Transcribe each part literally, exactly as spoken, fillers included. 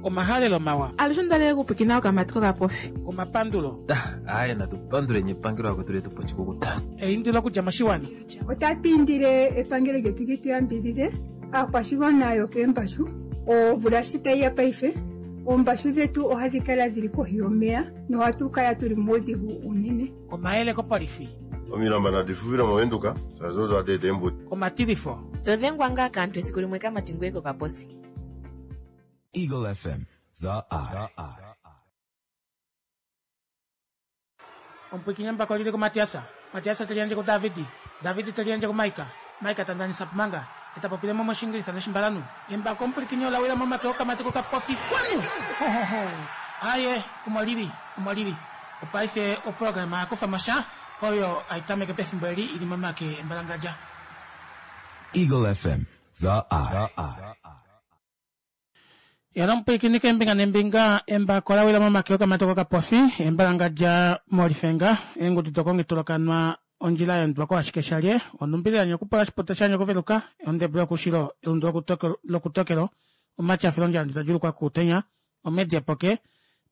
Omahalelo mawa. Alushe ondalele okupwikina okamati kokapofi. Omapandulo. Aaye natu panduleni epangelo akwetu letu po oshikukuta. Eindilo okudja moshiwana. Otatu indile epangelo lyetu li tu yambidhidhe aakwashigwana yokeembashu. Omvula shi tayi ya paife, oombashu dhetu ohadhi kala dhili kohi yomeya nohatu kala tuli muudhigu unene. Omayele kopolifi. Omilamba nadi fufile movenduka shaashi odo hadi eta eembudi. Omatilifo. To dhengwa ngaa kaantu esiku limwe kamati ngoye kokaposi. Eagle F M, the eye. Omupwikinyi embako lili kuMatiasa. Matiasa teli yandje kuDavidi. Davidi teli yandje kuMaika. Maika ta ndanisa pumanga. Eta popile mo moshingilisa noshimbalanu. Embako omupwikinyi ola wila momake okamati kokapofi. Kwanu! Ho, ho, ho. Aye, omo lili, omo lili. Opaife oprograma ya kufa mo sha oyo hai tameke pefimbo eli ili momake embalangadja. Eagle F M, the eye. Yala omupwilikini keembinga nembinga, embako la wila momake okamati kokapofi, embalangadja molifenga, eengudu dokongitulakanwa ondjila ya endwa ko ashike shalye, onumbili ya nyokupola oshiputa sha nyokuveluka, ondebula yokushilo, elundu lokutokelo, omatyafilo ondjala ndita djulukwa kuutenya, omedi epoke,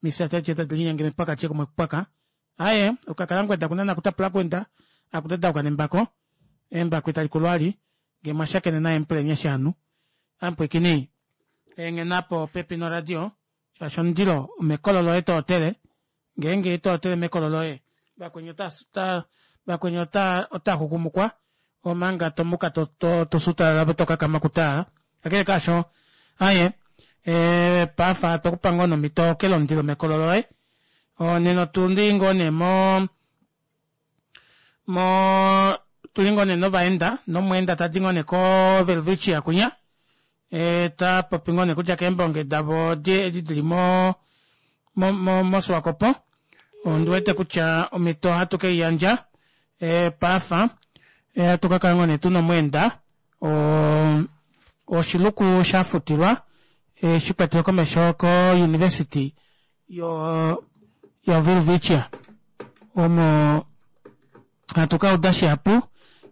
mifya tete tadi linyenge mepwaka kumwe kupwaka. Aye, okakala ngweda kuna nakutapula kwenda, akutadauka nembako, embako itali kulwali, nge mwashakene naye mpulenye shanu. Ampwikini, enghenapo pepi noradio, shaashi omundilo omekolo loye tootele, ngeenge tootele mekolo loye, vakweni ota vakweni ota ota xukumukwa, omanga tomuka to to tosutalala tokakama kutala. Kakele kaasho, aye, e, pafa tokupa ngoo nomhito okele omundilo mekolo loye. Nena otuli ngoo nee mo mo tuli ngoo nee novaenda, nomweenda tadi ngoo nee koVelvicia kunya, e, ta popi ngoo nee kutya keembonge davo edi dili mo mo mo moSwakopo. Ondiwete kutya omhito ohatu keiyandja e, pafa e, hatu kakala ngoo nee tuna omweenda oshiluku shafutilwa e, shikwatelwe komesho ko University yo yo Welwitschia omo hatu ka uda shihapu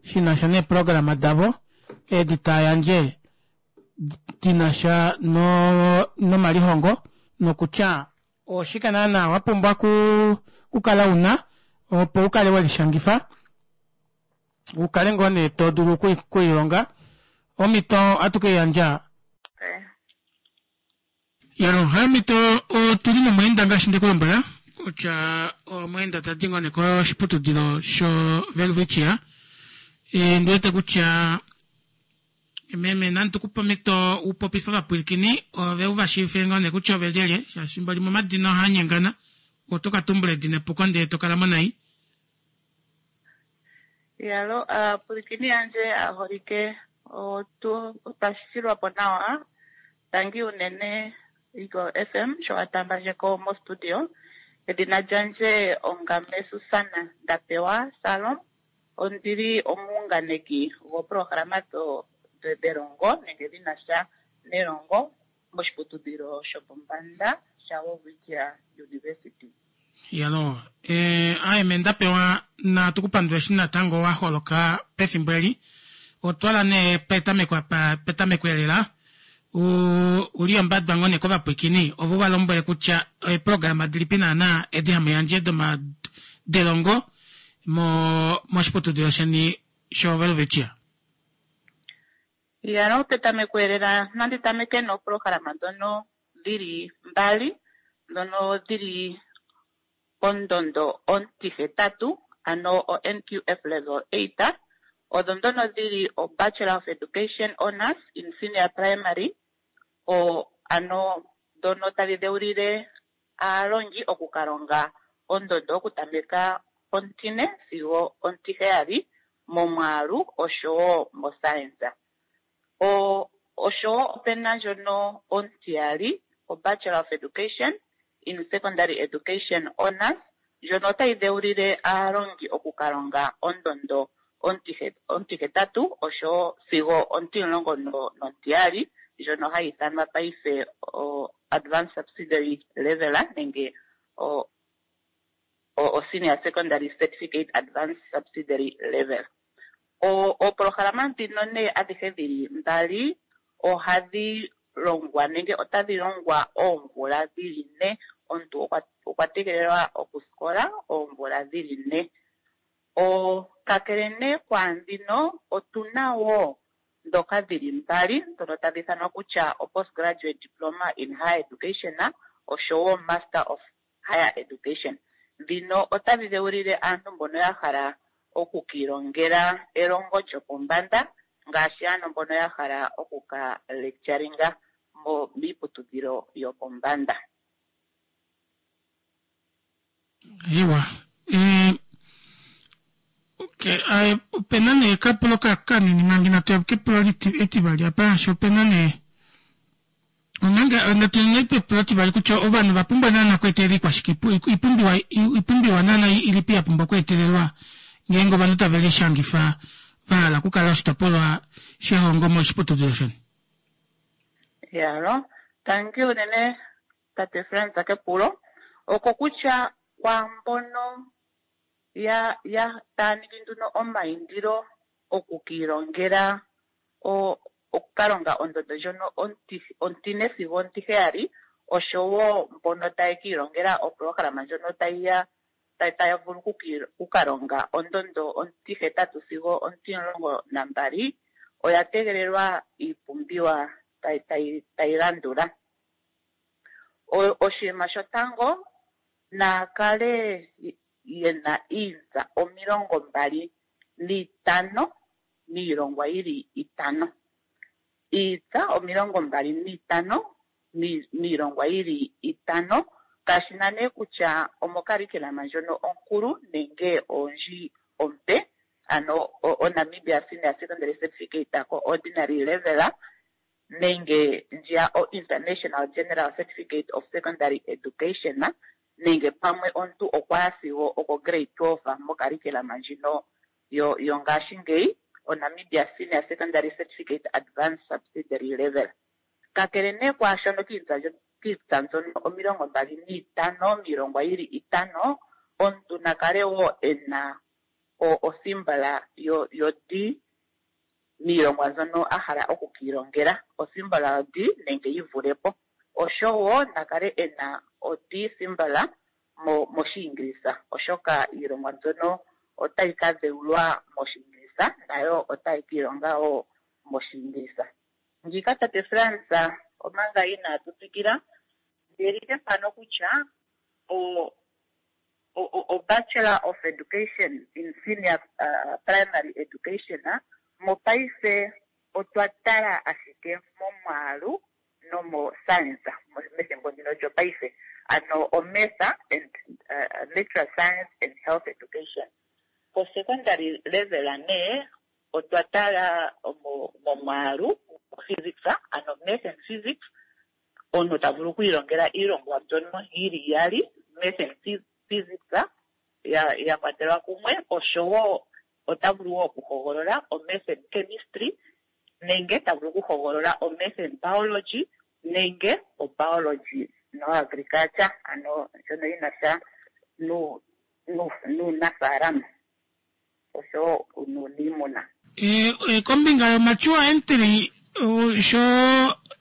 shinasha neeprograma davo edi tayandje dinasha no nomalihongo nokutya oshike naana wapumbwa kukala una opo ukale welishangifa ukale ngoo nee to dulu okuilonga omhito ohatu keiyandja yalo hamito otuli nomweenda ngaashi ndekulombwela kutya omweenda tadi ngoo nee koshiputudilo sho Welwitschia e, ndiwete kutya meme nandi tukupe omhito upopife ovapwilikini ove uvashiivifile ngoo nee kutya ove lyelye shaashi fimbo limwe omadina ohaanyengana oto ka tumbula edina epuko ndele tokala mo nai. Yalo aapwilikini yandje aaholike otu otwashilwapo nawa. Tangi unene Eagle F M sho watambandjeko mostudio. Edina lyandje ongame Susana Ndapewa Salom. Ondili omuunganeki goprograma do delongo nenge dhinasha nelongo moshiputudhilo shopombanda shaWelwitschia University. Yalo, eh, aye me Ndapewa natu kupandula eshi natango wa holoka pefimbo eli. Otwala nee petameko apa, petameko elela. Uli ombadwa ngoo nee kovapwilikini ovo va lombwele kutya eeprograma dilipi naana edi hamu yandje doma delongo mo moshiputudilo sheni shoWelwitschia. Yalo, petameko elela nandi tameke noprograma ndono dhili mbali ndono dhili pondondo ontihetatu ano o N Q F level eight. Odho ndono dhili o Bachelor of Education Honors in Senior Primary o ano ndono tadhi dheulile aalongi okukalonga ondondo okutameka ontine sigo ontiheyali momwaalu oshowo moscience. O oshowo opena ndjono ontiyali o Bachelor of Education in Secondary Education Honors ndjono otayi dheulile aalongi okukalonga ondondo ontihetatu oshowo sigo ontimulongo nontiyali ndjono hayi ithanwa paife o Advanced Subsidiary Level nenge o, o Senior Secondary Certificate Advanced Subsidiary Level. O oopolohalama ndhino nee adhihe dhili mbali ohadhi longwa nenge otadhi longwa oomvula dhili ne. Omuntu okwa tegelelwa okusikola oomvula dhili ne. Kakele nee kwaandhino otuna wo ndhoka dhili mbali ndhono tadhi ithanwa kutya o-postgraduate diploma in higher education oshowo master of higher education. Ndhino otadhi dheulile aantu mbono ya hala oku kiilongela elongo lyopombanda ngaashi ano mbono ya hala oku ka lecturinga miiputudhilo yopombanda. Iwa. Eh, okay, eh, opena nee ekapulo kanini manga inatu ya kepulo etivali apa shaashi opena nee omanga natu yeni pepulo etivali kutya ovanhu ova pumbwa naana okweetelela ikwashike oipumbiwa oipumbiwa naana ilipi ya pumbwa okweetelelwa ngeenge ovanhu tave lishangifa va hala okukala oshitopolwa shehongo moshiputudilo sheni. Yalo, tangi unene tate Frans kepulo oko kutya kwaambono ya ya taya ningi nduno omaindilo oku kiilongela okukalonga ondondo ndjono ontine sigo ontiheyali oshowo mbono taye kiilongela opolohalama ndjono tayi ya taya vulu okukalonga ondondo ontihetatu sigo ontimulongo nambali oya tegelelwa iipumbiwa tayi landula. Oshinima shotango naa kale yena iitsa omilongo mbali niitano miilongwa yili itano. Iitsa omilongo mbali niitano miilongwa yili itano kashi na nee kutya omokarikilama ndjono onkulu nenge oondji ompe, ano oNamibia Senior Secondary Certificate ko-ordinary level nenge ndjiya o-International General Certificate of Secondary Education nenge pamwe omuntu okwa ya sigo oko grade twelve mokarikilama ndjino yongaashingeyi oNamibia Senior Secondary Certificate Advanced Subsidiary Level. Kakele nee kwaashono kiitsa mbyono omilongo mbali niitano miilongwa yili itano, omuntu na kale wo ena osimbala yo-D miilongwa mbyono a hala oku kiilongela, osimbala yo-D nenge yi vule po, oshowo na kale ena o-D simbala mOshiingilisa, oshoka iilongwa mbyono otayi ka dheulwa mOshiingilisa nayo otayi ka ilonga wo mOshiingilisa. Ngiika tate Frans, omanga inaatu tsikila, ndi mpano kutya o-Bachelor of Education in Senior uh, Primary Education mopaife otwa tala ashike momwaalu nomo-science methimbo ndino lyopaife, ano o-math and uh, natural science and health education. Ko-secondary level nee otwa tala momwaalu physics, ano math and physics, omuntu ta vulu okwiilongela iilongwa mbyono yili iyali, math and physics ya, ya kwatelwa kumwe, oshowo ota vulu wo okuhogolola o-math and chemistry nenge ta vulu okuhogolola o-math and biology nenge o-biology no-agriculture, ano ndjono yina sha nuunafaalama oshowo nuuniimuna. E, kombinga yomature entry sho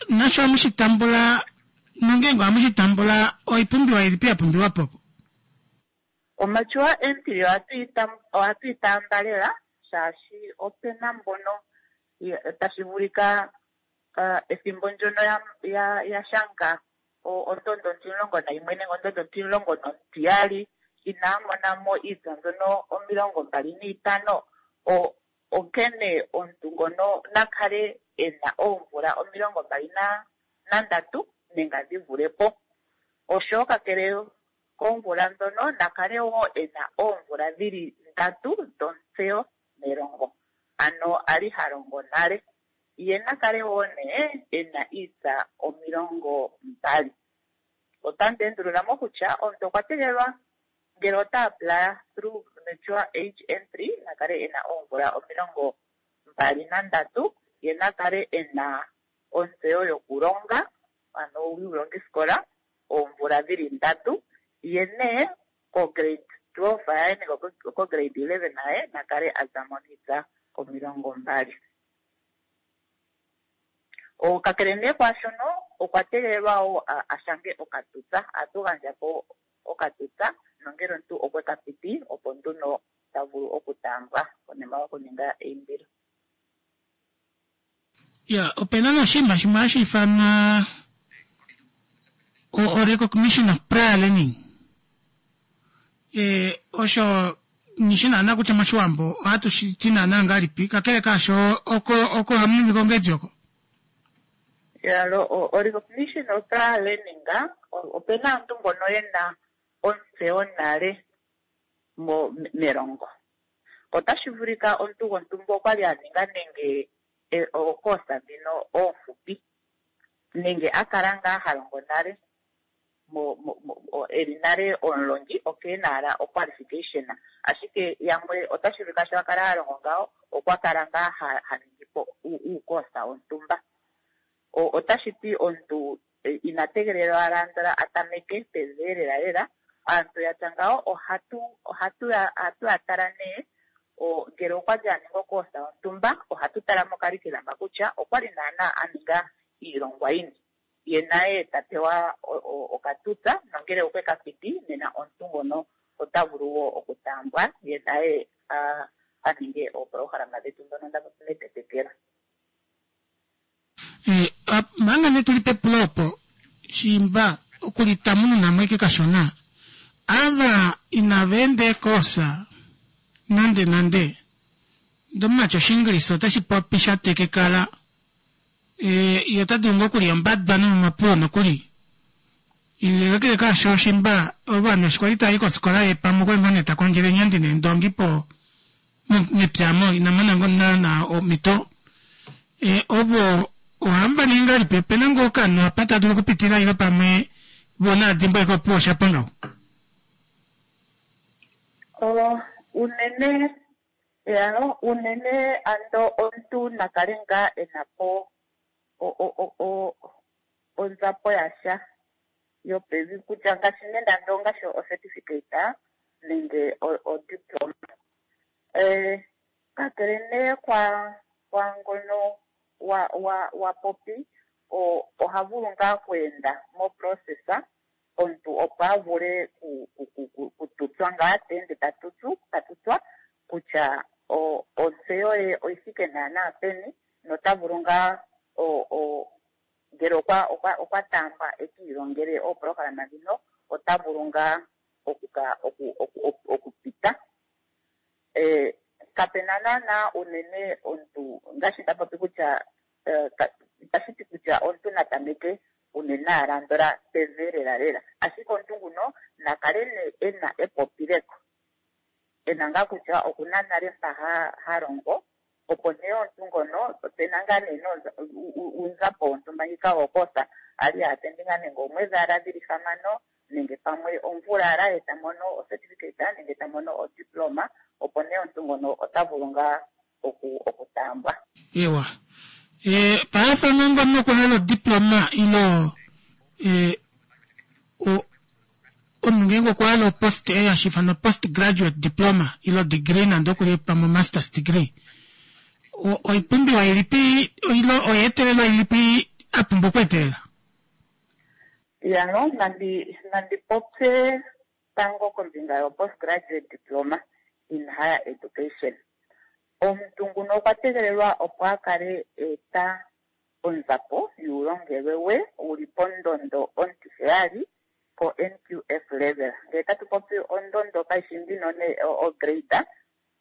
nasho hamu shi tambula nongeenge ohamu shi tambula oipumbiwa ilipi ya pumbiwa po? Omature entry ohatu yi taamba lela shaashi opena mbono tashi vulika ethimbo ndyono ya ya shanga ondondo ontimulongo nayimwe nenge ondondo ontimulongo nontiyali inaya mona mo iitsa mbyono omilongo mbali niitano, onkene omuntu ngono na kale ena oomvula omilongo mbali nandatu nenge dhi vule po. Oshowo kakele koomvula ndhono na kale wo ena oomvula dhili ndatu dhontseyo melongo, ano ali ha longo nale, ye na kale wo nee ena iitsa omilongo mbali. Otandi endulula mo kutya omuntu okwa tegelelwa ngele ota apply through mature age entry na kale ena oomvula omilongo mbali nandatu, ye na kale ena ontseyo yokulonga, ano yuulongisikola oomvula dhili ndatu, ye nee ko-grade twelve yaye nenge ko-grade eleven yaye na kale a za mo niitsa omilongo mbali. Kakele nee kwaashono okwa tegelelwa wo a shange okatutsa, ohatu gandja po okatutsa nongele omuntu okwe ka piti opo nduno ta vulu okutaambwa konima yokuninga eindilo. Ya, opena noshinima shimwe hashi ifanwa o recognition of prior learning. E, osho nishi naana kutya moshiwambo ohatu shi ti naana ngahelipi, kakele kaasho oko oko hamu ningi kongedi oko. Ya, o recognition of prior learning, opena aantu mbono yena ontseyo nale melongo. Otashi vulika omuntu gontumba okwali a ninga nenge okoosa dhino oofupi nenge a kala ngaa ha longo nale eli nale omulongi okeena ala oqualification, ashike yamwe otashi vulika sho a kala ha longo ngawo okwa kala ngaa ha ningi po uukoosa wontumba. Otashi ti omuntu ina tegelelwa andola a tameke pevi lela lela. Aantu yatya ngawo ohatu ohatu ya tala nee ngele okwa li a ninga okoosa yontumba, ohatu tala mokalikilama kutya okwa li naana a ninga iilongwa yini, ye naye ta pewa okatutsa, nongele okwe ka piti nena omuntu ngono ota vulu wo okutaambwa ye naye a ninge oopolohalama dhetu ndhono nda popi metetekelo. Manga nee tuli pepulo opo shimba okulitamununa mo ike kashona, ava inava enda eekoosa nande nande, ndomumati Oshiingilisa otashi popi sha tekekala, e, ye ota dulu ngoo okulya ombadwa nomomapuwo nokuli. Kakele kaasho shimba ovanhu eshi kwali tava i kofikola ye pamwe okwali ngoo nee ta kondjele eenyandi neendongi po mepya mo ina mona ngoo naana omhito. E, ovo ohamu va ningi ngahelipi? Opena ngoo okanhu apa ta dulu okupitila ile pamwe vo naadimbwa eke opuwo osha pwa ngaho? Unene ya unene ando omuntu na kale ngaa e na po onzapo yasha yopevi kutya ngaashi nende ando ngaashi o-certificate nenge o-diploma. Kakele nee kwa kwaangono wa wa wa popi oha vulu ngaa okweenda moprocess omuntu opo a vule kututswa ngaa ta ende ta tutsu ta tutswa kutya ontseyo ye oyi thike naana peni nota vulu ngaa ngele okwa okwa okwa taambwa e ki ilongele oopolohalama dhino ota vulu ngaa okuka okupita. Kapena naana unene omuntu ngaashi nda popi kutya itashi ti kutya omuntu na tameke unene ala andola pevi lela lela, ashike omuntu nguno na kale nee ena epopileko, ena ngaa kutya okuna nale mpa ha longo, opo nee omuntu ngono opena ngaa nee uunzapo wontumba ngika wokoosa a li a attendinga nenge oomwedhi ala dhili hamano nenge pamwe omvula ala ye ta mono ocertificate nenge ta mono odiploma, opo nee omuntu ngono ota vulu ngaa okutaambwa. Ewa. E, paife ngeenge omunhu okwa hala odiploma ilo e, omunhu ngeenge okwa hala opost e hashi ifanwa post graduate diploma ilo degree nande okuli pamwe masters degree, oipumbiwa ilipi ilo oyeetelelwa ilipi a pumbwa okweetelela? Yano nandi nandi popye tango kombinga yo postgraduate diploma in higher education. Omuntu nguno okwa tegelelwa opo a kale eta onzapo yuulongelwe we wuli pondondo ontiheyali po N Q F level. Ngele tatu popi ondondo kayishi ndino ne ograde,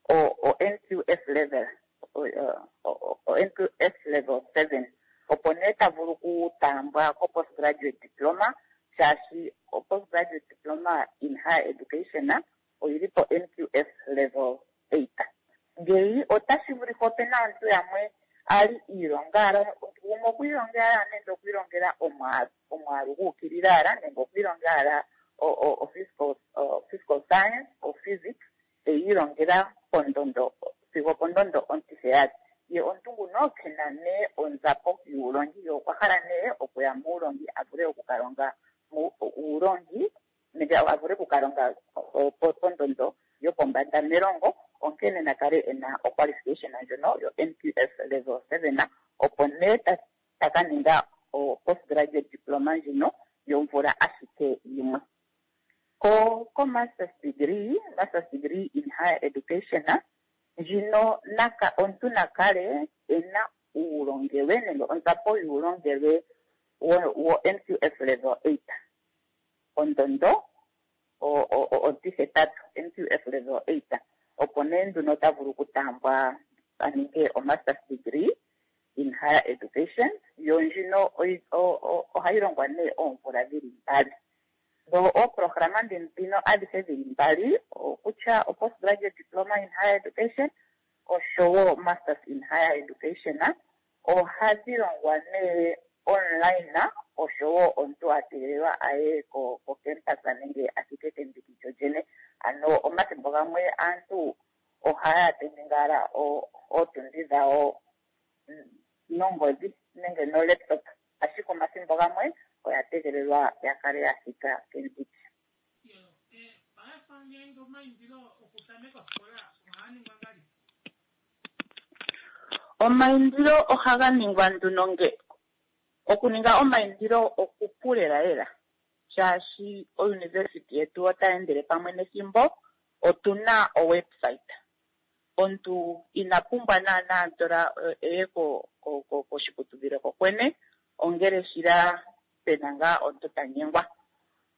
o N Q F level, o N Q F level seven, opo nee ta vulu okutaambwa ko postgraduate diploma, shaashi o postgraduate diploma in higher education oyili po N Q F level eight. Ngeyi otashi vulika opena aantu yamwe ali iilonga ala gumwe okwiilongela ala nenge okwiilongela omwaalu omwaalu guukilila ala nenge okwiilongela ala o physical science o physics eyiilongela pondondo sigo pondondo ontiheyali, ye omuntu nguno kena nee onzapo yuulongi, ye okwa hala nee okuya muulongi a vule okukalonga uulongi nenge a vule okukalonga pondondo yopombanda melongo, onkene na kale ena oqualification ndjono yo N Q F level seven, opo nee ta ka ninga o-postgraduate diploma ndjino yomvula ashike yimwe. Ko ko-masters degree, masters degree in higher education, ndjino naka omuntu na kale e na uulongelwe nenge onzapo yuulongelwe wo-N Q F level eight, ondondo ontihetatu, N Q F level eight, opo nee nduno ota vulu okutaambwa a ninge o-masters degree in higher education. Yo ndjino ohayi longwa nee oomvula dhili mbali. Dho ooprograma ndhino adhihe dhili mbali, okutya o-postgraduate diploma in higher education oshowo masters in higher education, ohadhi longwa nee online oshowo omuntu a tegelelwa aye kocampus nenge a thike kendiki lyolyene. Ano omathimbo gamwe aantu ohaya attend ngaa ootundi dhawo nongodhi nenge nolaptop, ashike omathimbo gamwe oya tegelelwa ya kale ya thika kendiki. Paife ngeenge omaindilo okutameka osikola ohaa ningwa ngahelipi? Omaindilo ohaga ningwa nduno nge okuninga omaindilo okupu lela lela, shaashi ouniversity yetu otayi endele pamwe nethimbo. Otuna owebsite, omuntu ina pumbwa naanaa ndola eye koshiputudhilo kokwene, ongele shila pena ngaa omuntu ta nyengwa.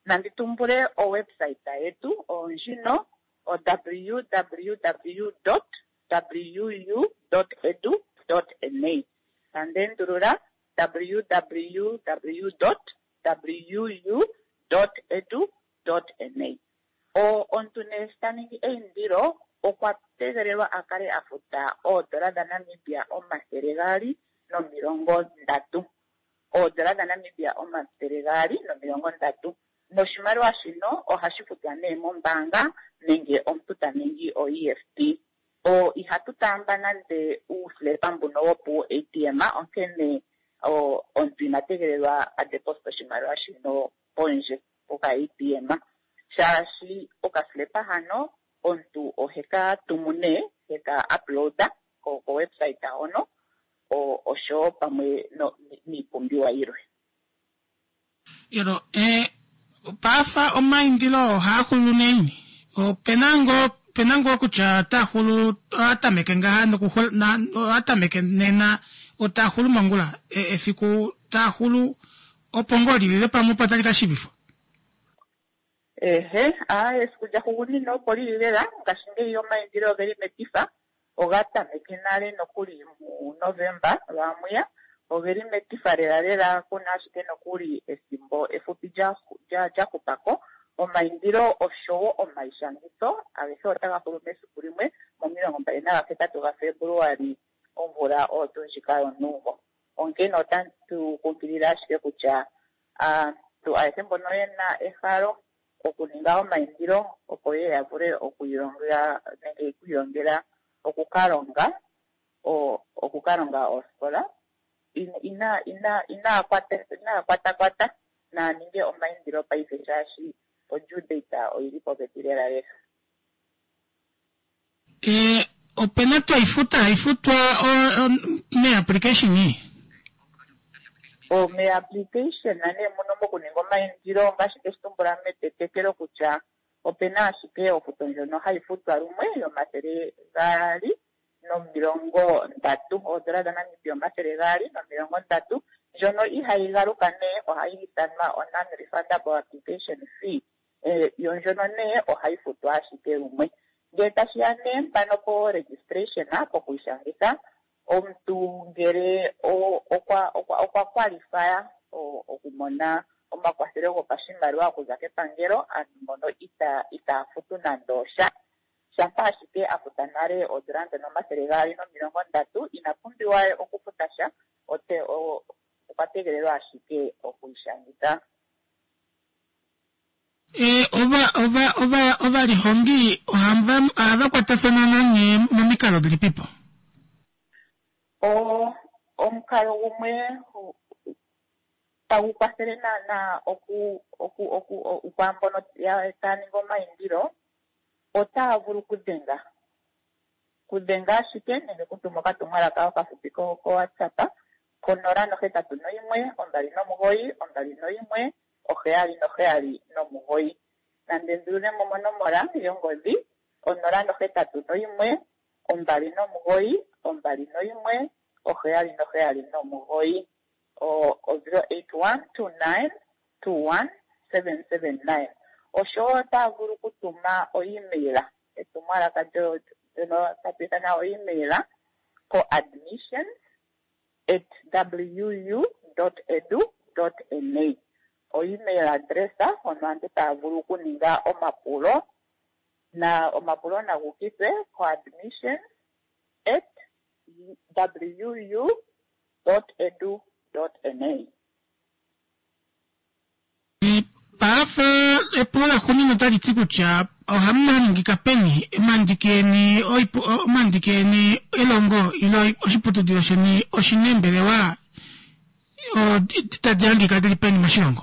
Nandi tumbule owebsite yetu ondjino o W W W dot W U dot edu dot N A. Tandi endulula, W W W dot W U dot edu dot N A. Omuntu nee sho ta ningi eindilo okwa tegelelwa a kale a futa oodola dhaNamibia omathele gaali nomilongo ndatu, oodola dhaNamibia omathele gaali nomilongo ndatu, noshimaliwa shino ohashi futwa nee mombaanga nenge omuntu ta ningi o-E F T. O ihatu taamba nande uuslepa mbuno wopu A T M, onkene omuntu ina tegelelwa a deposit oshimaliwa shino pondje poka A T M, shaashi okaslepa hano omuntu oheka tumu nee heka uploada ko website hono oshowo pamwe niipumbiwa yilwe. Yelo e paafa omaindilo ohaa xulu neni? Opena ngoo pena ngoo kutya ota xulu oha tameke ngaha oha tameke nena otaa xulu mongula efiku taa xulu opo ngoo lilile pamwe opo tali ka shivifwa? Ehe, a esiku lyahugunina opo lili lela. Ngashingeyi omaindilo ogeli metifa, oga tameke nale nokuli muNovemba lwamwiya, ogeli metifa lela lela, kuna ashike nokuli ethimbo efupi lya hupako. Omaindilo oshowo omaishangitho agehe otaga hulu mesiku limwe momilongo mbali nagahetatu gaFebuluali omvula oyo tuu ndjika yonuumvo. Onkene otatu kunkilile ashike kutya aantu ayehe mbono yena ehalo okuninga omaindilo opo ye ya vule okwiilonga nenge okwiilongela okukalonga okukalonga oosikola, ina ina inaa kwata kwata, naa ninge omaindilo paife shaashi o-due date oyili popepi lela lela. E, opena twaifuta haifutwa meapplication? Meapplication nee muno mokuninga omaindilo, ngaashi teshi tumbula metetekelo kutya opena ashike ofuto ndjono hayi futwa lumwe yomathele gaali nomilongo ndatu, oodola dhaNamibia omathele gaali nomilongo ndatu, ndjono ihayi galuka nee, ohayi ithanwa o-non refundable application fee. Yo ndjono nee ohayi futwa ashike lumwe. Ngele tashi ya nee mpano po registration, pokwiishangitha, omuntu ngele okwa okwa qualifya okumona omakwathelo gopashimaliwa okuza kepangelo, aantu mbono ita itaya futu nande osha, shampa ashike a futa nale oodola ndhono omathele gaali nomilongo ndatu, ina pumbiwa okufuta sha, okwa tegelelwa ashike okwiishangitha. E, ova ova ova ovalihongi ohava kwatafana nanye momikalo dhilipipo? Omukalo gumwe tagu kwathele naana oku oku oku kwaambono taya ningi omaindilo, otaya vulu okudhenga kudhenga ashike nenge kutuma okatumwalaka okafupi ko WhatsApp. Konola nohetatu noyimwe ombali nomugoyi ombali noyimwe oheyali noheyali nomugoyi. Nande ndululemo monomola yongodhi onola nohetatu noyimwe ombali nomugoyi ombali noyimwe oheyali noheyali nomugoyi o zero eight one two nine two one seven seven nine. Oshowo otaya vulu okutuma o-email etumwalaka ndyono tatu ithana o-email ko admissions at wu dot edu dot na. O-email address hono aantu taya vulu okuninga omapulo na omapulo nagu ukithwe ko admissions at wu dot edu dot na. Paafa epulo laxuuninwa otali ti kutya ohamu hangika peni omandiki eni omandiki eni elongo ile oshiputudilo sheni oshina eembelewa tadi hangika dili peni moshilongo?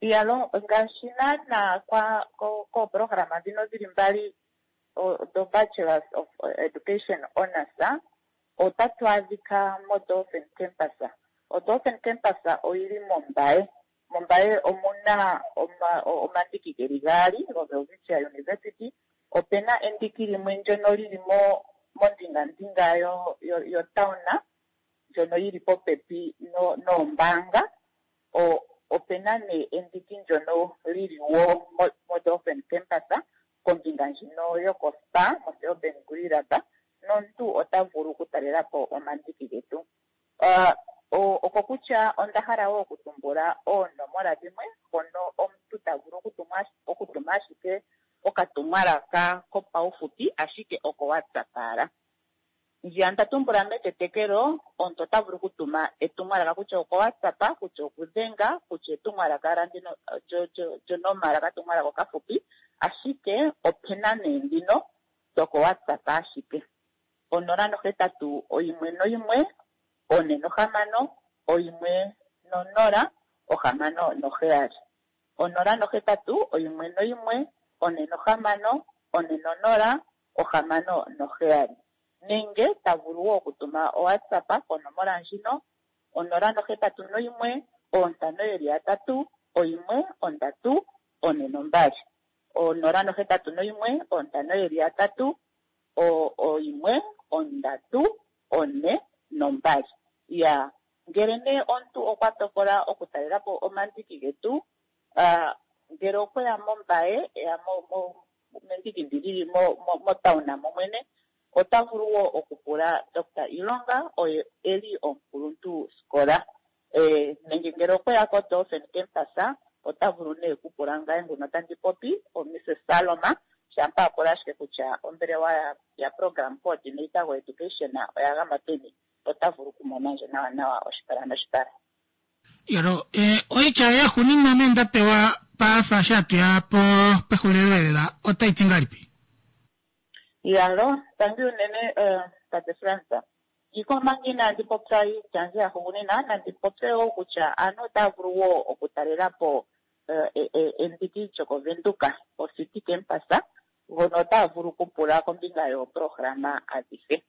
Iyalo ngaashi naana kwa kooprograma dhino dhili mbali do Bachelors of Education Honours otatu adhika moDolphin Campus. ODolphin Campus oyili mOmbaye. Mombaye omuna omandiki geli gaali goWelwitschia University. Opena endiki limwe ndyono lili mo mondingandinga yo yo town ndjono yili popepi noombaanga. Opena nee endiki ndyono lili wo moDolphin Campus kombinga ndjino yokoSpa moSeoben Gurirab nomuntu ota vulu okutalela po omandiki getu. Oko kutya onda hala wo okutumbula oonomola dhimwe hono omuntu ta vulu okutuma ashike okatumwalaka kopaufupi ashike oko WhatsApp ala. Ndjiya nda tumbula metetekelo omuntu ota vulu okutuma etumwalaka kutya oko WhatsApp, kutya okudhenga, kutya etumwalaka ala ndino lyonomala okatumwalaka okafupi ashike opena nee ndhino doko WhatsApp ashike. Onola nohetatu oyimwe noyimwe one nohamano oyimwe nonola ohamano noheyali. Onola nohetatu oyimwe noyimwe one nohamano one nonola ohamano noheyali. Nenge ta vulu wo okutuma oWhatsApp konomola ndjino onola nohetatu noyimwe oontano yeli yatatu oyimwe ondatu one nombali. Onola nohetatu noyimwe oontano yeli yatatu oyimwe ondatu one nombali. Ya ngele nee omuntu okwa tokola okutalela po omandiki getu, ngele okweya mOmbaye eya mendiki ndi lili motown momwene ota vulu wo okupula Doctor Ilonga oye eli omukuluntu sikola. Nenge ngele okweya koDolphin Campus ota vulu nee okupula ngaye nguno tandi popi oMrs Saloma shampa a pula ashike kutya ombelewa ya program coordinator go-education oya gama peni ota vulu okumona ndje nawa nawa oshipala noshipala. Yalo oitya yaxuuninwa ame nda pewa paafa eshi hatuya po pexulilo lela otai ti ngahelipi? Yalo, tangi unene tate Frans. Iko manga inaandi popya iitya yandje yaxuuninwa nandi popye wo kutya aantu otaya vulu wo okutalela po endiki lyokoVenduka oCity Campus hono otaya vulu okupula kombinga yooprograma adhihe.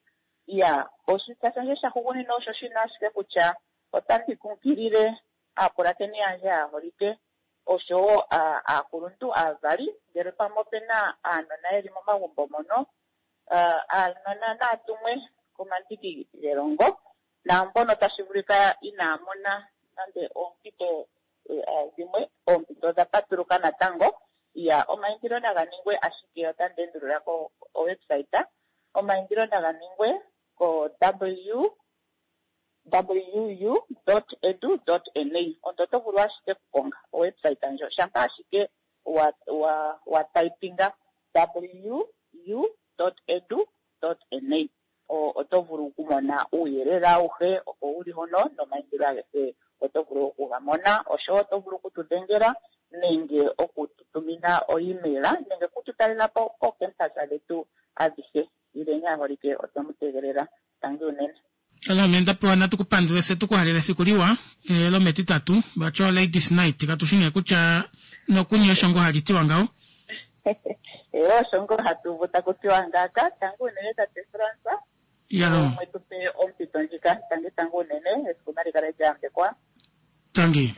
Ya oshitya shandje shahugunina osho shino ashike kutya otandi kunkilile aapulakeni yandje aaholike oshowo aakuluntu aavali ngele pamwe opena aanona yeli momagumbo mono aanona naatumwe komandiki gelongo naambono tashi vulika inaa mona nande oompito dhimwe oompito odha patuluka natango. Ya omaindilo naga ningwe ashike otandi endulula ko website omaindilo naga ningwe ko w w dot edu dot na. Omuntu oto vulu ashike okukonga owebsite ndjo shampa ashike wa wa wa typinga w u dot edu dot na oto vulu okumona uuyelele awuhe oko wuli hono nomaindilo agehe oto vulu okuga mona. Oshowo oto vulu okutudhengela nenge okututumina o-email nenge okututalela po koocampus dhetu adhihe. Ileni aaholike otwemu tegelela. Tangi unene. Ame ndapewa natu kupandule se tukuhalele efiku liwa lometitatu vati ladies night katushi nee kutya nokunye osho ngoo hali tiwa ngaho. Ee osho ngoo hatu uvu taku tiwa ngaaka. Tangi unene tate Frans. Yalo. Mwe tu pe ompito ndjika. Tangi tangi unene, esiku nali kale lya yambekwa. Tangi.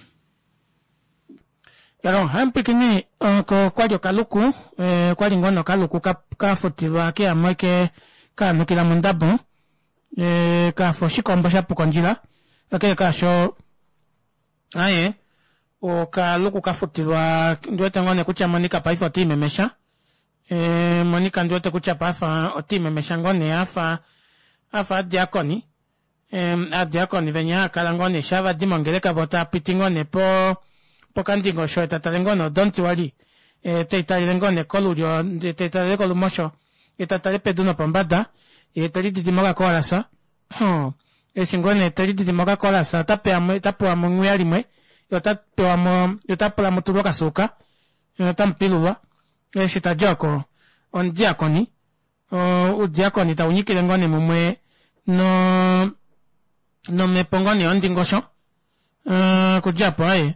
Yalo, hampikini ko kwali okaluku, eh, kwali ngono okaluku ka, kafutilwa keyamwe ke kaanukila mondabo, eh, kafa oshikombo sha puka ondjila, kakele kaasho, aye, okaluku kafutilwa, ndiwete ngoo nee kutya Monica paife ota imemesha, eh, Monica ndiwete kutya paife ota imemesha ngoo nee afa, afa adiakoni, eh, adiakoni venya haakala ngoo nee shaa vadi mongeleka voo taapiti ngoo nee po pokandingosho etatale ngoo nee odonti wali e, teitalele ngoo nee kolulyo ndee teitalele kolumosho ye tatale pedu nopombada yee telididi mokakoolasa hoo eshi ngoo nee telididi mokakoolasa ota pewamo enghuya limwe yee otapewamo yee otapula mutulwe okasuuka otamupilulwa eshi tadi oko omudiakoni oudiakoni taunyikile ngoo nee mumwe noo nomepo ngoo nee yondingosho okudja aapo aaye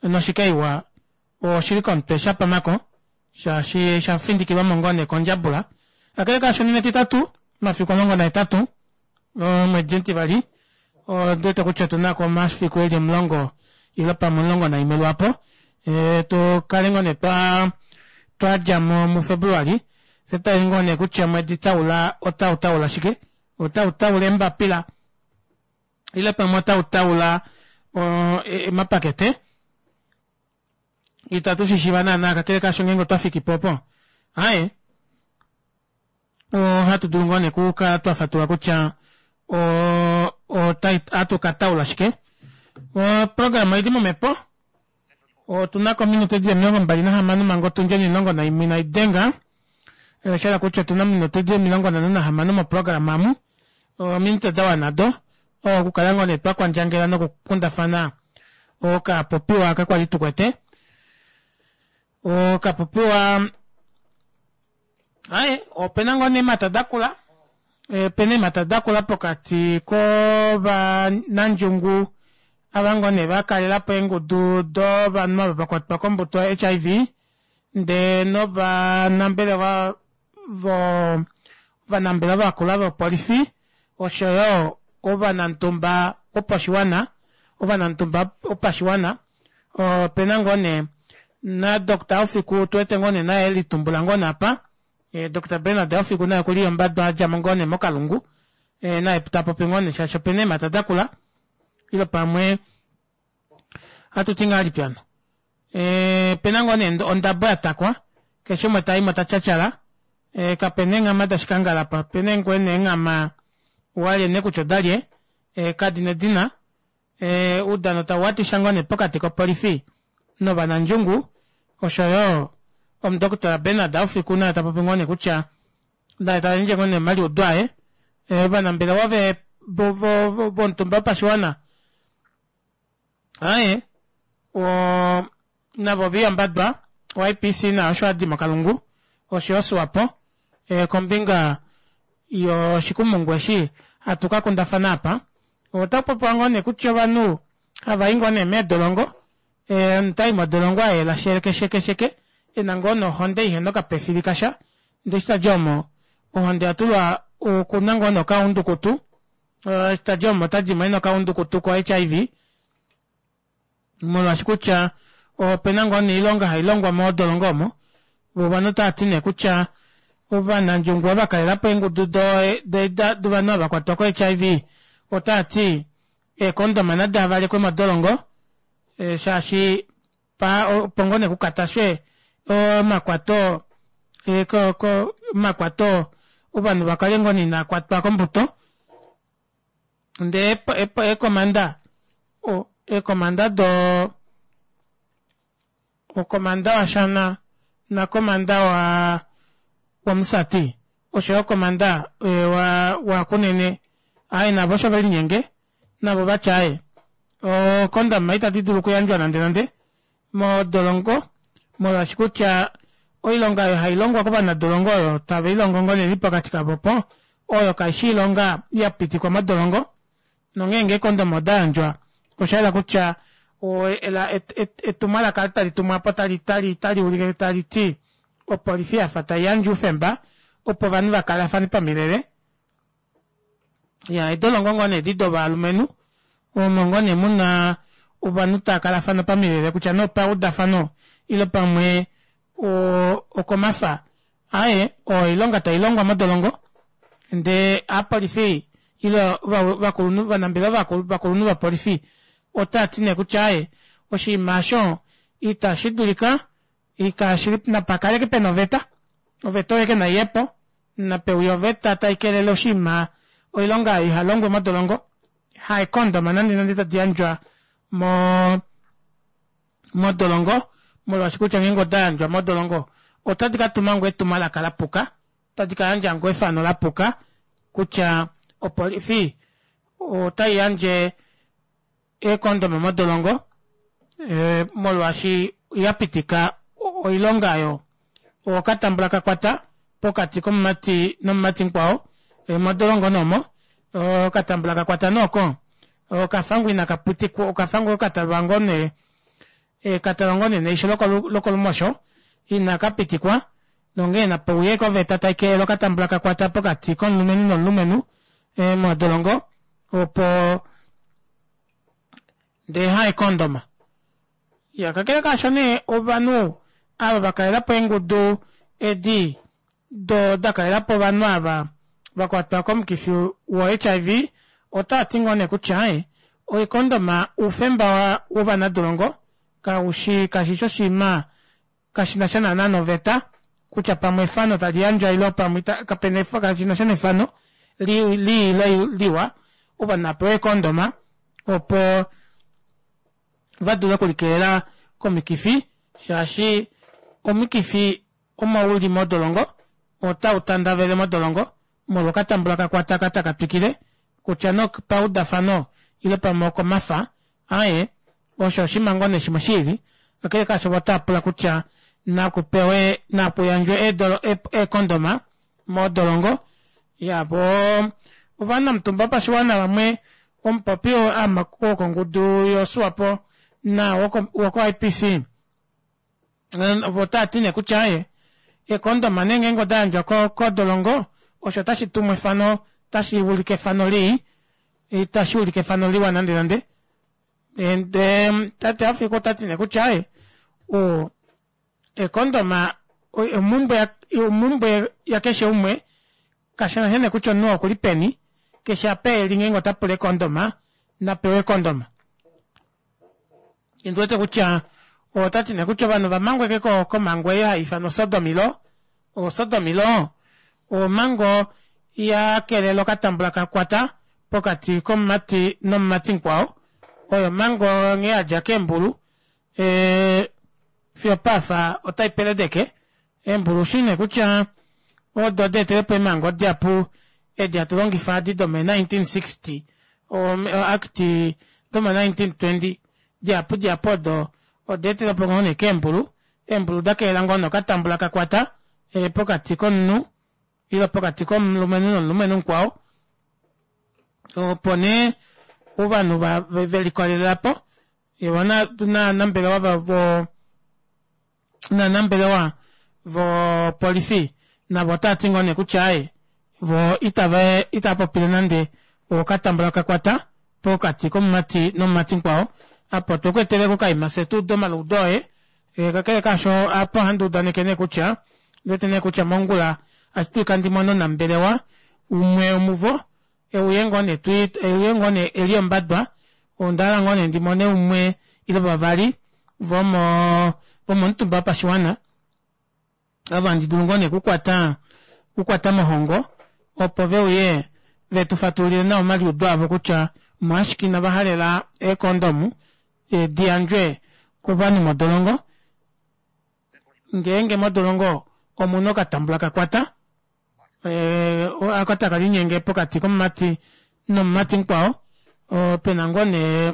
noshikaiwa oshili komutwe shapamako shaashi oshafindikilwamo ngoo nee kondjabula. Kakele kaasho nena etitatu omafiku omulongo nahetatu omwedi omutivali ondiwete kutya otunako omafiku eli omulongo ile pamwe omulongo naimwe lwaapo tukale ngoo nee twaa twadjamo mu february fyee tutaleni ngoo nee kutya omwedi taula ota utaula shike ota utaula eembapila ile pamwe ota utaula omapakete ita tushishiiva naana kakele kaasho ngeenge otwafikipo opo aaye ohatu dulu ngoo nee okukala twafatulula kutya oo ohatu kataula shike. Oprograma oili momepo otunako ominute dili omilongo mbali nahamano manga otundi onimulongo naimwe inaidenga oshahala kutya otuna ominute dili omilongo nhano nahamano moprograma omu ominute dawana odo okukala ngoo nee twakwandjangela noku kundafana okapopiwa aka kwali tukwete okapopiwa aaye opena ngoo nee eemata dakula opena eemata dakula pokati kovanandjungu ava ngoo nee vakalelapo eengudu dovanhu ava vakwatwa kombuto yo H I V ndee novanambelewa voo ovanambelewa vakula vopolifi oshoyo ovanamitumba wopashiwana ovanamitumba wopashiwana opena ngoo nee na doctor Haufiku otuwete ngoo nee naye elitumbula ngoo nee aapa doctor Bernard Haufiku naye okuli ombadwa adjamo ngoo nee mokalungu naye tapopi ngoo nee shaashi opena eemata dakula ile pamwe ohatuti ngahelipi hano opena ngoo nee ondabo yatakwa keshe umwe taimo tatyatyala kapena eenghama dashikangala apa opena ngoo nee eenghama walye nee kutya odalye kadina edina oudano tauwatisha ngoo nee pokati kopolifi novanandjungu oshoyo omundokotola Bernard Haufiku naye tapopi ngoo nee kutya naye tayandje ngoo nee omaliudo aye ovanambelewa vomutumba wopashiwana aaye oo navo ovaiyambadwa o I P C naye osho adi mokalungu oshoyo swapo kombinga yoshikumungu eshi hatu kakundafana aapa otakupopiwa ngoo nee kutya ovanhu havayi ngoo nee meedolongo omunhu tayi modolongo ayela sheke sheke sheke ena ngoo nee ohonde ihena okapefili kasha ndee eshi tadi omo ohonde oyatulwa okuna ngoo nee okaundukutu eshi tadi omo otadimo ena okaundukutu ko H I V molwaashi kutya opena ngoo nee oilonga hailongwa modolongo omo voo ovanhu otaati nee kutya ovanandjungu ava vakalelapo eengudu dovanhu ava vakwatwa ko H I V otaati eecondom nadavalekwe modolongo shaashi opo ngoo nee kukatashwe omakwato omakwato ovanhu vakale ngoo nee inaakwatwa kombuto ndee eekomanda eekomanda doo okomanda washana nakomanda waa womusati oshoyo komanda wakunene aaye navo osho velinyenge navo ovati aaye ocondom ita didulu okuyandjwa nande nande modolongo molwaashi kutya oilonga oyo hailongwa kovanadolongo oyo taveilongo ngoo nee pokati kavo opo oyo kaishi oilonga yapitikwa modolongo nongeenge eecondom odayandjwa oshayela kutya etumwalaka eli talitumwapo otali ulike taliti opolifi yafa taiyandje oufemba opo ovanhu vakalafane pamilele Ya eedolongo ngoo nee edi dovalumenhu omo ngoo nee muna ovanhu taakalafana pamilele kutya nee opaudafano ile pamwe okomafa aaye oilonga tailongwa modolongo ndee aapolifi ile ovakulunhu ovanambelewa vakulunhu vopolifi otaati nee kutya aaye oshinima aasho ita shidulika napakale ashike pena oveta oveta oyo ashike naiyepo napeuye oveta taikelele oshinima oilonga aayo ihalongwe modolongo haekondoma nande nande tadi yandjwa moo modolongo molwaashi kutya ngeenge odayandjwa modolongo otadi katuma ngoo etumwalaka lapuka otadi kayandja ngoo efano lapuka kutya opolifi otaiyandje eecondom modolongo molwaashi yapitika oilonga aayo okatambula kakwata pokati komumati nomumati mukwao modolongo nee omo okatambula kakwata nee oko okafa ngoo inakapitikwa okafa ngoo katalwa ngoo nee katalwa ngoo nee neisho lokolumosho ina kapitikwa nonghee napeuye ashike oveta taikelele okatambula kakwata pokati komulumenhu nomulumenhu modolongo opo ndee haekondoma. Iyaa kakele kaasho nee ovanhu ava vakalelapo eengudu edi doo dakalelapo ovanhu aava vakwatwa komukifi wo H I V otaati ngoo nee kutya aaye oikondoma oufemba wovanadolongo kaushi kashishi oshinima kashinasha naana noveta kutya pamwe efano taliyandjwa ile pamwe kapena kashinasha nefano lii ile liwa ovanhu navapewe eecondom opo vadule okulikelela komikifi shaashi omukifi omo uli modolongo ota utandavele modolongo molwo okatambula kakwata aka takatwikile kutya nee opaudafano ile pamwe okomafa aaye osho oshinima ngoo nee shimwe shiili kakele kaasho voo otaapula kutya nakupewe nakuyandjwe eecondom modolongo. Iyaa voo ovanamutumba vopashiwana vamwe omupopi wokongudu yo swapo naao woko I P C voo otaati nee kutya aaye eecondom nee ngenge odayandjwa kodolongo osho ota shitumu efano ota shuulike efano lii ita shuulike efano liwa nande nande ndee tate haufiku otati nee kutya aaye oo eecondom omumbwe yakeshe umwe kashinasha nee kutya omunhu oo okuli peni keshe apa eli ngeenge otapula econdom napewe econdom. Ondiwete kutya otati nee kutya ovanhu ovamangwa ashike komango ei haifanwa sodomy law, o sodomy law omango yakelela okatambula kakwata pokati komumati nomumati mukwao oyo omango nghee yadja keembulu fiyo opaafa otaipeledeke eembulu ushi nee kutya odo deetelepo eemango dihapu edi hatu longifa edi domo nineteen sixty act domo nineteen twenty dihapu dihapu odo odaetelwepo ngoo nee keembulu eembulu dakelela ngoo nee okatambula kakwata pokati komunhu ile pokati komulumenhu nomulumenhu mukwao opo nee ovanhu velikolelelapo novanambelewa novanambelewa vopolifi navo otaati ngoo nee kutya aaye voo itava itavapopile nande okatambula kakwata pokati komumati nomumati mukwao apa otwekweeteleko okaima fyee tuude omaliudo oye kakele kaasho aapa ohandi udaneke nee kutya ondiwete nee kutya mongula ohashidulika ndimone omunambelewa umwe womuvo euye ngoo nee euye ngoo nee eli ombadwa ondahala ngoo nee ndimone umwe ile vavali vomo vomomutumba wopashiwana ava handi dulu ngoo nee okukwata okukwata mohongo opo veuye vetufatululile nawa omaliudo avo kutya omolwashike inavahalela eecondom diyandjwe kovanhu modolongo ngeenge modolongo omuna okatambula kakwata oko takelinyenge pokati komumati nomumati mukwao pena ngoo nee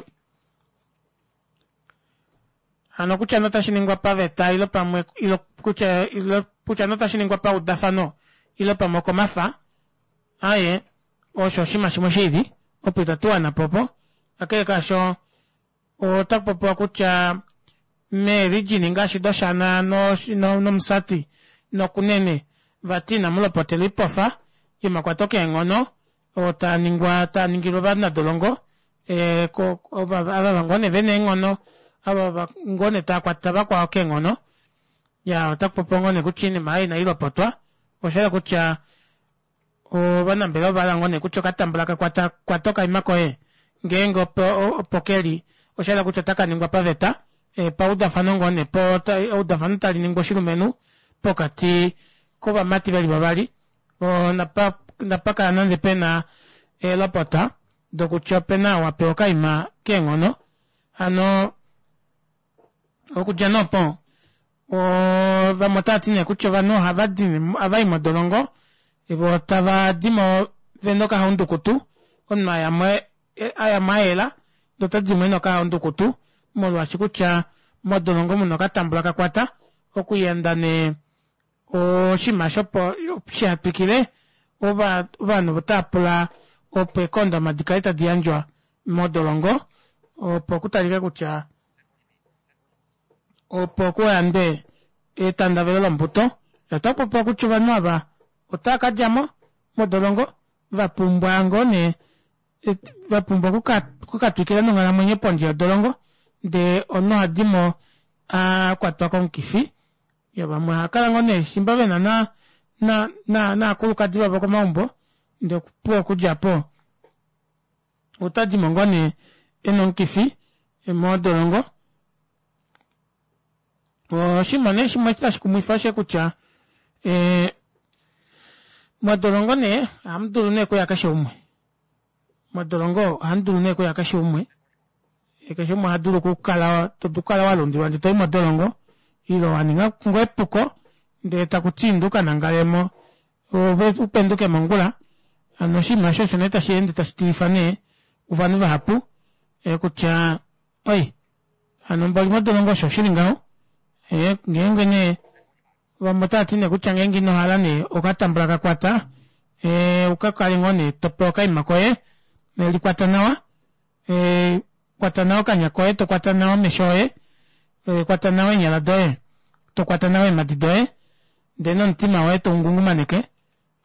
hano kutya nee otashiningwa paveta ile pamwe kutya kutya nee otashiningwa paudafano ile pamwe okomafa aaye osho oshinima shimwe shiili opo ita tuwanapo opo kakele kaasho otakupopiwa kutya meerijini ngaashi doshana nomusati nokunene vati inamulopotelwa oipofa yomakwato keenghono Oo taaningwa taaningilwa ovanadolongo ee ava ngoo nee vena eenghono, ava ngoo nee taakwata vakwao keenghono. Ya otakupopiwa ngoo nee kutya oinima aayo inailopotwa, oshayela kutya ovanambelewa ovahala ngoo nee kutya okatambula kakwata kwata okaima koye ngeenge opo keli oshayela kutya otakaningwa paveta paudafano ngoo nee po eudafano taliningwa oshilumenhu pokati kovamati veli vavali napa napakala nande pena eelopota dokutya opena ou apewa okaima keenghono hano okudja nee opo vamwe otavati nee kutya ovanhu ohavadi ohavai modolongo voo tavadimo vena okahaundukutu omunhu ayamo ayamo ayela ndee otadimo ena okahaundukutu molwaashi kutya modolongo muna okatambula kakwata okuyanda nee oshinima aasho opo shihatwikile ovanhu otaapula opo eecondom dikale tadi yandjwa modolongo opo kutalike kutya opo kuyandwe etandavelo lombuto. Otakupopiwa kutya ovanhu ava otaakadjamo modolongo vapumbwa ngoo nee vapumbwa okukatwikila nonghalamwenyo pondje yodolongo ndee omunhu ohadimo akwatwa komukifi. Yoo vamwe ohaakala ngoo nee shimba vena na na naakulukadi vavo komaumbo ndee opuwo okudja aapo otadimo ngoo nee ena omukifi modolongo. Oshinima nee shimwe eshi tashi kumwifa oshosho kutya ee modolongo nee ohamudulu nee okuya keshe umwe, modolongo ohamudulu nee okuya keshe umwe, keshe umwe ohadulu okukala todulu okukala walundilwa ndee toyi modolongo ile waninga ngoo epuko ndee takuti inda ukanangalemo ove upenduke mongula. Hano oshinima aasho osho nee tasheende tashi tilifa nee ovanhu vahapu kutya oi hano mboli modolongo osho shili ngaho ngeenge nee vamwe otavati nee kutya ngeenge inohala nee okatambula kakwata ukakale ngoo nee topewa okaima koye likwata nawa, kwata nawa okanya koye tokwata nawa omesho oye, kwata nawa eenyala doye tokwata nawa eemadi doye ndee nomutima woye toungungumaneke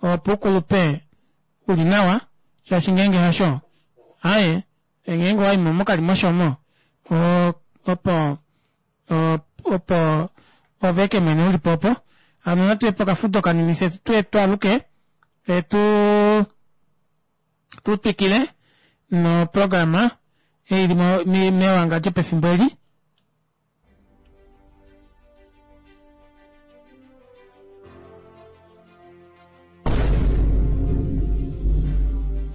opo ukulupe uli nawa shaashi ngeenge hasho aaye ngeenge owaimo mokalimosho omo opo opo ove eke mwene ulipo opo. Hano natuye pokafudo kanini fye tuye twaaluke tuu tutwikile noprograma ei ili mewangadjo pefimbo eli.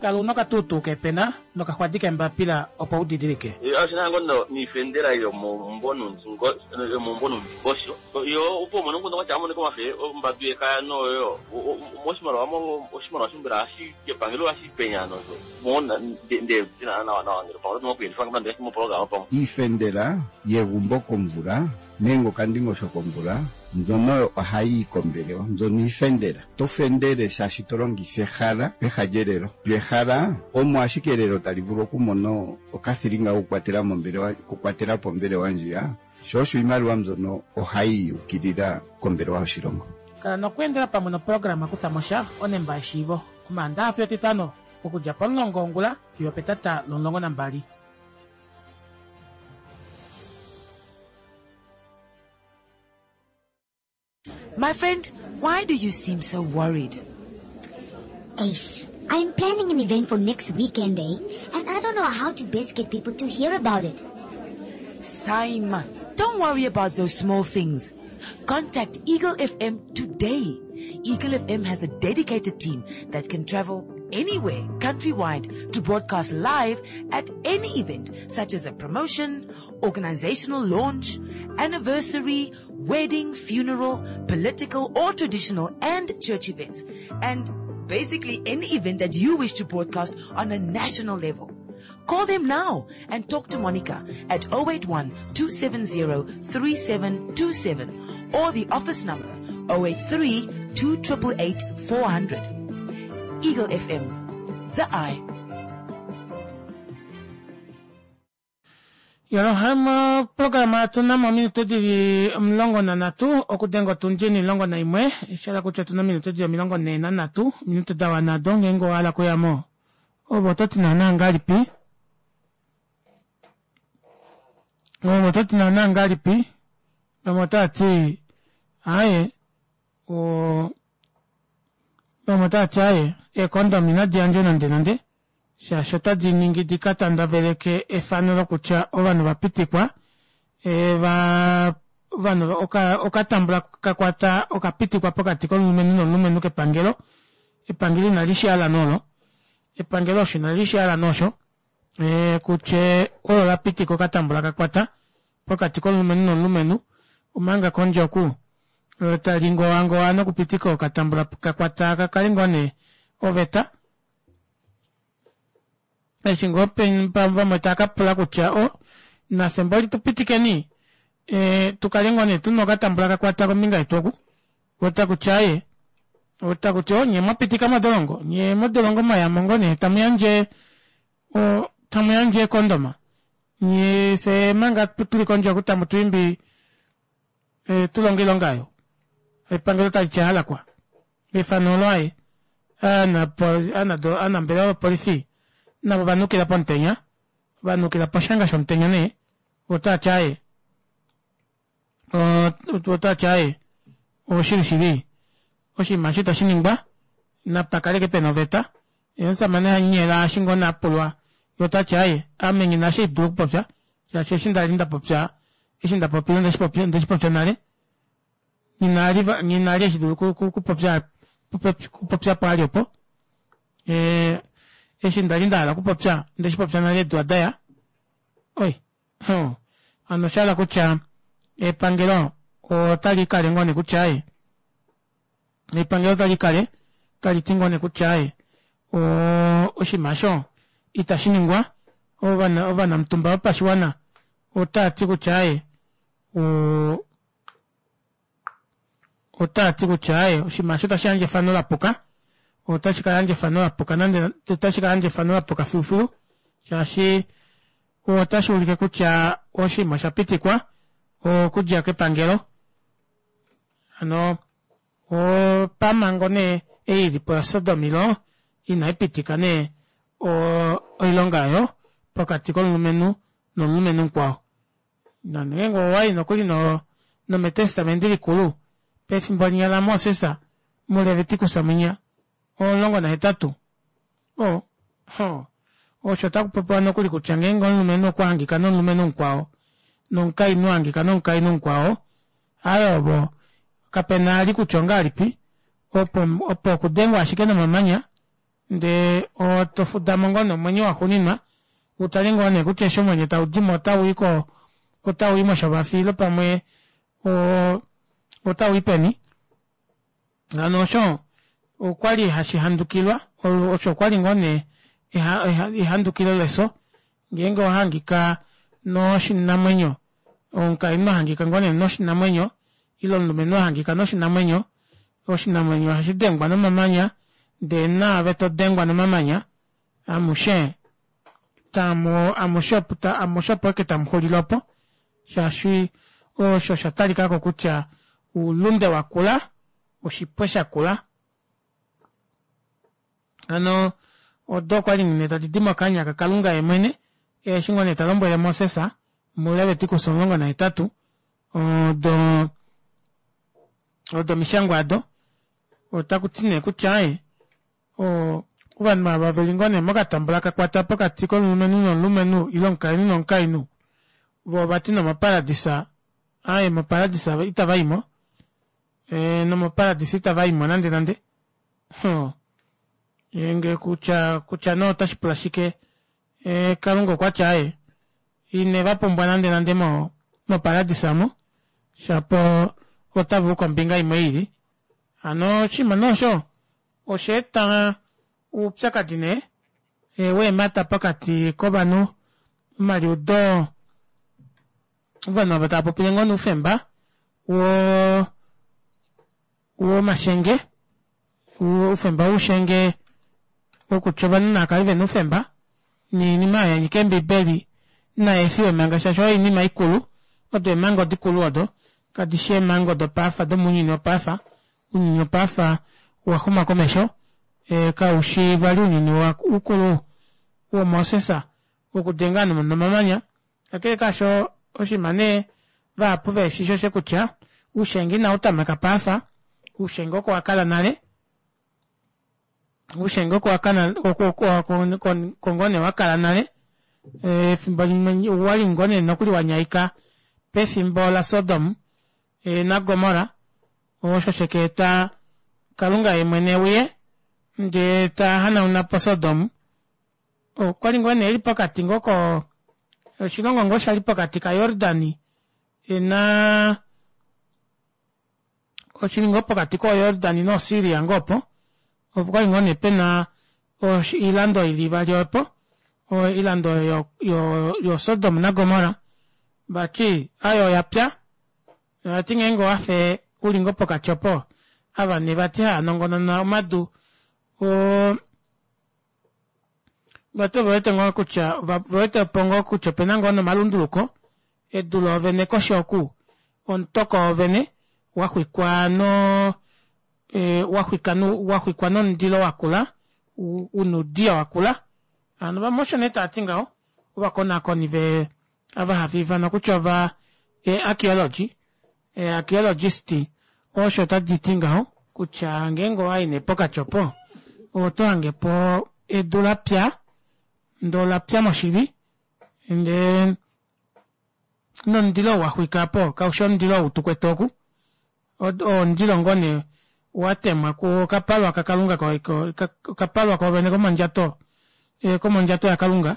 Kala una okatuutuu keepena nokaxwadi keembapila opo u didilike. Oshina ngo niifendela yomombo nondingosho yo opo umone nguno kwatya amoneka omafe ombadu yekaya noyo moshimaliwa oshimaliwa shimbela hashi kepangelo hashi penya nozo mona nde tina nawa nawa ngele pamwe oto moku yelifa ngele mo programa pamwe. Iifendela yegumbo komvula nenge okandingosho komvula mbyono ohayi yi kombelewa, mbyono iifendela. To fendele shaashi to longitha ehala peha lyelelo. Lyo ehala omo ashike elelo tali vulu okumona okathilinga kokukwatela mombelewa, okukwatela po ombelewa ndjiya, sho osho iimaliwa mbyono ohayi yi ukilila kombelewa yoshilongo. Kala nokweendela pamwe noprograma Kutha mo sha onemba yeshiivo Omaandaxa fiyo Etitano okudja pomulongo wongula fiyo opetata lomulongo nambali. My friend, why do you seem so worried? Ace, I'm planning an event for next weekend, eh? And I don't know how to best get people to hear about it. Saima, don't worry about those small things. Contact Eagle F M today. Eagle F M has a dedicated team that can travel anywhere countrywide to broadcast live at any event, such as a promotion, organizational launch, anniversary, wedding, funeral, political or traditional and church events, and basically any event that you wish to broadcast on a national level. Call them now and talk to Monica at oh eight one, two seven zero, three seven two seven or the office number oh eight three, two triple eight, four hundred. Eagle F M, the eye. Yolo, programa tuna mo ominute dili omulongo nanhatu okudenga otundi onimulongo naimwe, sha hala kutya otuna ominute dili omilongo nhee nanhatu, ominute da wana do ngeenge owa hala okuyamo Ove oto ti naana ngahelipi? Ove oto ti naana ngahelipi? Vamwe otava ti aaye oo vamwe otava ti aaye eecondom inadi yandjwa nande nande shaashi otadi ningi dikatandaveleke efano lokutya ovanhu ovapitikwa va ovanhu okatambula kakwata okapitikwa pokati komulumenhu nomulumenhu kepangelo epangelo inali shihala nee olo epangelo osho inali shihala nee osho kutya olo lapitika okatambula kakwata pokati komulumenhu nomulumenhu omanga kondje oku talingowangowa nokupitika okatambula kakwata kakale ngoo nee oveta eshi ngoo vamwe taakapula kutya o nafye mboli tupitikeni tukale ngoo nee tuna okatambula kakwata kombinga yetu oku otakuti aaye otakuti oo nyee mwapitika modolongo nyee modolongo mwayamo ngoo nee tamuyandje tamuyandje eecondom nyee fyee manga tuli kondje oku tamutwiimbi tulonge oilonga aayo epangelo taliti aalakwa efano olo aaye ovanambelewa vopolifi navo ovanukila pomutenya vanukila poshanga shomutenya nee otaati aaye otaati aaye oshili shili oshinima eshi ita shiningwa napakale ashike pena oveta yee omushamane hamunyela eshi ngoo nee apulwa yee otati aaye ame nghina eshi haidulu okupopya shaashi eshi ndali ndapopya eshi ndapopile ondeshipopya nale nghina vali eshi haidulu okupopya okupopya opo ali opo eshi ndali ndahala okupopya ondeshipopya nale eedula daya oi hano oshahala kutya epangelo otalikale ngoo nee kutya aaye epangelo otalikale taliti ngoo nee kutya aaye oshinima aasho itashiningwa ovanamutumba vopashiwana otaati kutya aaye otaati kutya aaye oshinima aasho otashiyandje efano lapuka otashikayandja efano lapuka nande otashikayandja efano lapuka filufilu shaashi otashuulike kutya oshinima oshapitikwa okudja kepangelo hano opamango nee ei ilipo ya sodomy law inaipitika nee oilonga aayo pokati komulumenhu nomulumenhu mukwao nongeenge owayi nokuli nometestament likulu pefimbo linya lamoses mulevitikus mwinya omulongo nahetatu o osho otakupopiwa nokuli kutya ngeenge omulumenhu okwahangika nomulumenhu mukwao nomukainhu ahangika nomukainhu mukwao aaye ovo kapena vali kutya ongahelipi opo opo okudengwa ashike nomamanya ndee tofudamo ngoo nee omwenyo waxuuninwa utale ngoo nee kutya eshi omwenyo taudimo otauyi otauyi moshovafi ile pamwe otauyi peni hano osho okwali hashi handukilwa osho okwali ngoo nee ehandukilo lefyo ngeenge owahangika noshinamwenyo omukainhu ahangika ngoo nee noshinamwenyo ile omulumenhu ahangika noshinamwenyo oshinamwenyo ohashidengwa nomamanya ndee naave todengwa nomamanya amushe tamu amushe amushe opo ashike tamuxulile opo shaashi osho shatalikako kutya oulunde wakula oshipwe shakula hano odo okwali nee tadidi mokanya kakalunga yemwene eshi ngoo nee talombwele moses mulevitikus omulongo nahetatu odo odo omishangwa ado otakuti nee kutya aaye ovanhu ava veli ngoo nee mokatambula kakwata pokati komulumenhu nomulumenhu ile omukainhu nomukainhu voo vati nomoparadisa aaye moparadisa itavaimo nomoparadisa itavaimo nande nande ngeenge kutya kutya nee otashipula shike kalunga okwati aaye inevapumbwa nande nande moparadisa omo shapo otavauka kombinga imwe ili hano oshinima nee osho oshaeta oupyakadi nee weemata pokati kovanhu omaliudo ovanhu ava tava popile ngoo nee oufemba wo womashenge oufemba woushenge wokutya ovanhu navakale vena oufemba noinima oyo yanyika eembibeli naefiwe manga shaashi oyo oinima ikulu odo eemhango dikulu odo kadishi eemhango dopaife domounyuni wopaife ounyuni wopaife owaxuma komesho kaushi vali ounyuni ukulu woMoses wokudenga ovanhu nomamanya. Kakele kaasho, oshinima nee vahapu vehe shi oshe kutya uushenge inau tameka paafa, uushenge oko wa kala nale, uushenge oko wa kala oko ngoo nee wa kala nale efimbo limwe owali ngoo nee nokuli wanyaika pefimbo laSodom naGomorra osho sheka eta Kalunga yeemwene euye ndee tahanaunapo Sodom. Okwali ngoo nee eli pokati ngoo ko oshilongo ngoo shali pokati kaJordan naa oshili ngoo pokati koJordan noSyria ngoo opo okwali ngoo nee pena oilando ili ivali opo oilando yo yo Sodom naGomorra vati aaye oyapya vati ngeenge owafe uli ngoo pokati opo ava nee vati haanongonona omadu oo vati ovewete ngoo kutya ovewetepo ngoo kutya opena ngoo nomalunduluko edu loovene koshi oku omutoko woovene waxwikwa noo waxwikwa nomundilo wakula una oudiyo wakula hano vamwe osho nee tavati ngaho ovakonaakoni vee ava hava ifanwa kutya ova archaeology archaeologist osho taditi ngaho kutya ngeenge owayi nee pokati opo oto hangepo edu lapya ndee olapya moshili ndee nomundilo ou waxwika aapo kaufi omundilo ou tukwete oku oo omundilo ngoo nee watemwa kokapalwa kakalunga okapalwa koovene komondjato komondjato yakalunga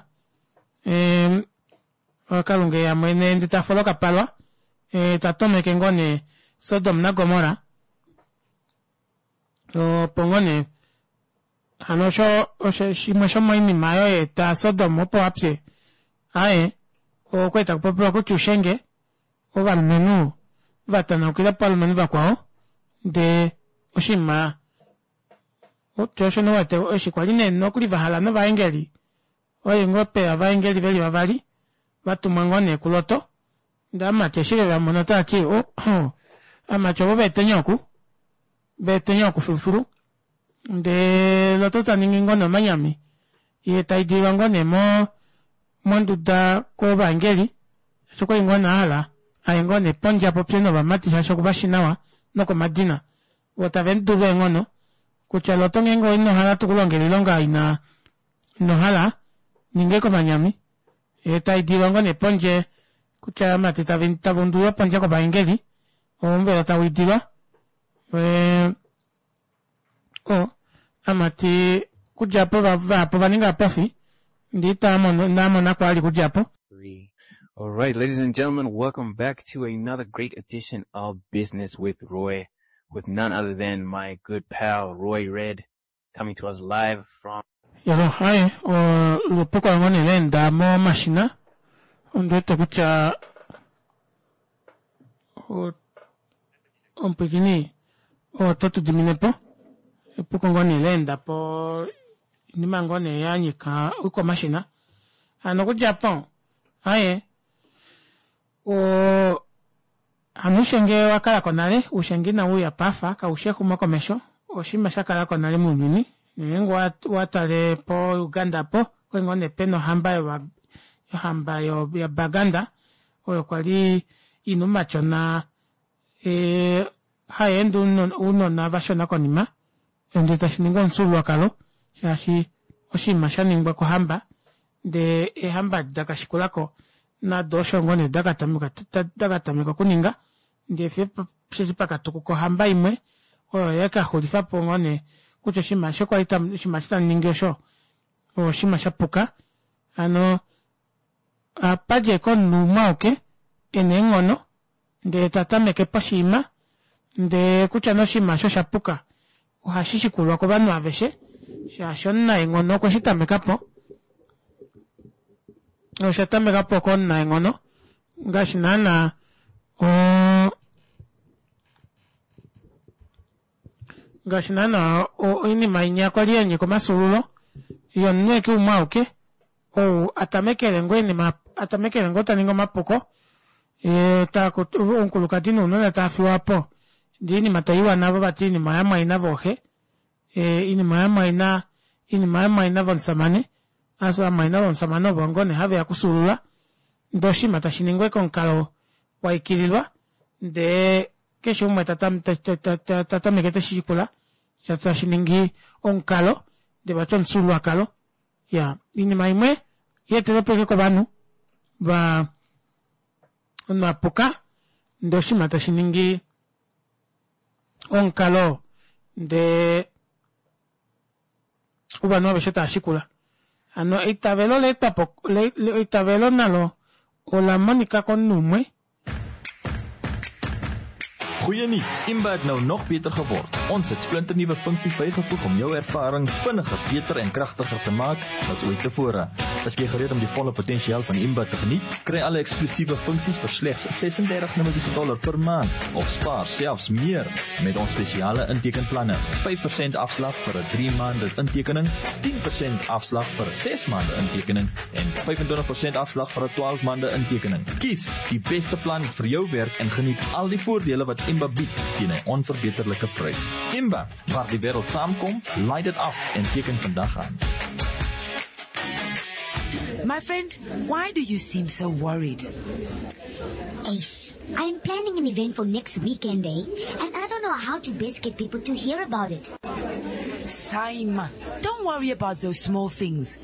kalunga eya mwene ndee tafolo okapalwa tatomeke ngoo nee Sodom naGomorra opo ngoo nee hano osho osho shimwe shomoinima oyo yaeta Sodom opo apye aaye okwali takupopiwa kutya ushenge ovalumenhu vatanaukila povalumenhu vakwao ndee oshinima shoo osho nee uwete eshi kwali nee nokuli vahala novaengeli okwali ngoo peya ovaengeli veli vavali vatumwa ngoo nee kuLoto ndee ovamati eshi vevamona otavati oh ovamati ovo vaeteni oku vaeteni oku filufilu ndee Loto taningi ngoo nee omanyami yee taidililwa ngoo nee mo monduda kovaengeli shaashi okwali ngoo nee ahala aye ngoo nee pondje apopye novamati shaashi okuvashi nawa nokomadina voo tavemudulu eenghono kutya Loto ngeenge inohala tukulongele oilonga ina inohala ninga ashike omanyami yee taidililwa ngoo nee pondje kutya ovamati tava undulilwa pondje kovaengeli omuvelo tawiidilwa oo ovamati okudja aapo vahapu ovaninga ovapofi ndee inavamona vali okudja aapo. All right, ladies and gentlemen, welcome back to another great edition of Business with Roy, with none other than my good pal Roy Red, coming to us live from. Yolo aaye epuko ngoo nee laenda momashina ondiwete kutya omupwiikini oto tudiminepo epuko ngoo nee laendapo oinima ngoo nee yanyika oikwamashina hano okudja aapo aaye oo hano oushenge owakalako nale oushenge inawuuya paife kaushi exumokomesho oshinima shakalako nale mounyuni ngeenge owatale po Uganda aapo okwali ngoo nee pena ohamba ohamba yabaganda oyo kwali ina oumatyona hayeende ounona vashona konima ndee tashiningi omufyuululwakalo shaashi oshinima shaningwa kohamba ndee eehamba edi dakashikulako nado osho ngoo nee dakatameka okuninga ndee fiyo osheshi pakatukuka ohamba imwe oyo yakaxulifapo ngoo nee kutya oshinima eshi kwali oshinima eshi tamuningi osho oshinima shapuka hano ohapadji ashike omunhu umwe auke ena eenghono ndee tatameke poshinima ndee kutya nee oshinima aasho oshapuka ohashishikulwa kovanhu aveshe shaashi omunaenghono okwe shitamekapo osha tamekapo komunaenghono ngaashi naana oo ngaashi naana oinima inya kwali yanyika omafyuululo yomunhu ashike umwe auke ou atamekele ngoo oinima atamekele ngoo taningi omapuko yee omukulukadi nounona taafiwapo ndee oinima taiwa navo vati oinima oyamumwaina vooxe oinima oyamumwaina oinima oyamumwaina vomusamane Vamwaina vomusamane ovo ngoo nee haveya okufyuulula ndee oshinima tashiningwa ashike omukalo waikililwa ndee keshe umwe tatameke teshishikula tashiningi omukalo ndee vati omufyuululwakalo. Iyaa oinima imwe yeetelwepo ashike kovanhu vaa omunhu apuka ndee oshinima tashiningi omukalo ndee ovanhu aveshe tavashikula hano eitavelo olaetwapo eitavelo nalo olamonika komunhu umwe. Goeie nuus, Imba het nou nog beter geword. Ons het splinternuwe funksies bygevoeg om jou ervaring vinniger, beter en kragtiger te maak as ooit tevore. Is jy gereed om die volle potensiaal van Imba te geniet? Kry alle eksklusiewe funksies vir slegs ses-en-dertig Namibiese dollar per maand of spaar selfs meer met ons spesiale intekenplanne. vyf persent afslag vir 'n drie maande intekening, tien persent afslag vir 'n ses maande intekening en vyf-en-twintig persent afslag vir 'n twaalf maande intekening. Kies die beste plan vir jou werk en geniet al die voordele wat Imba bied teen 'n onverbeterlike prys. Imba, waar die wêreld saamkom, laai dit af en teken vandag aan. My friend, why do you seem so worried? Ace, I'm planning an event for next weekend, eh? And I don't know how to best get people to hear about it. Saima, don't worry about those small things.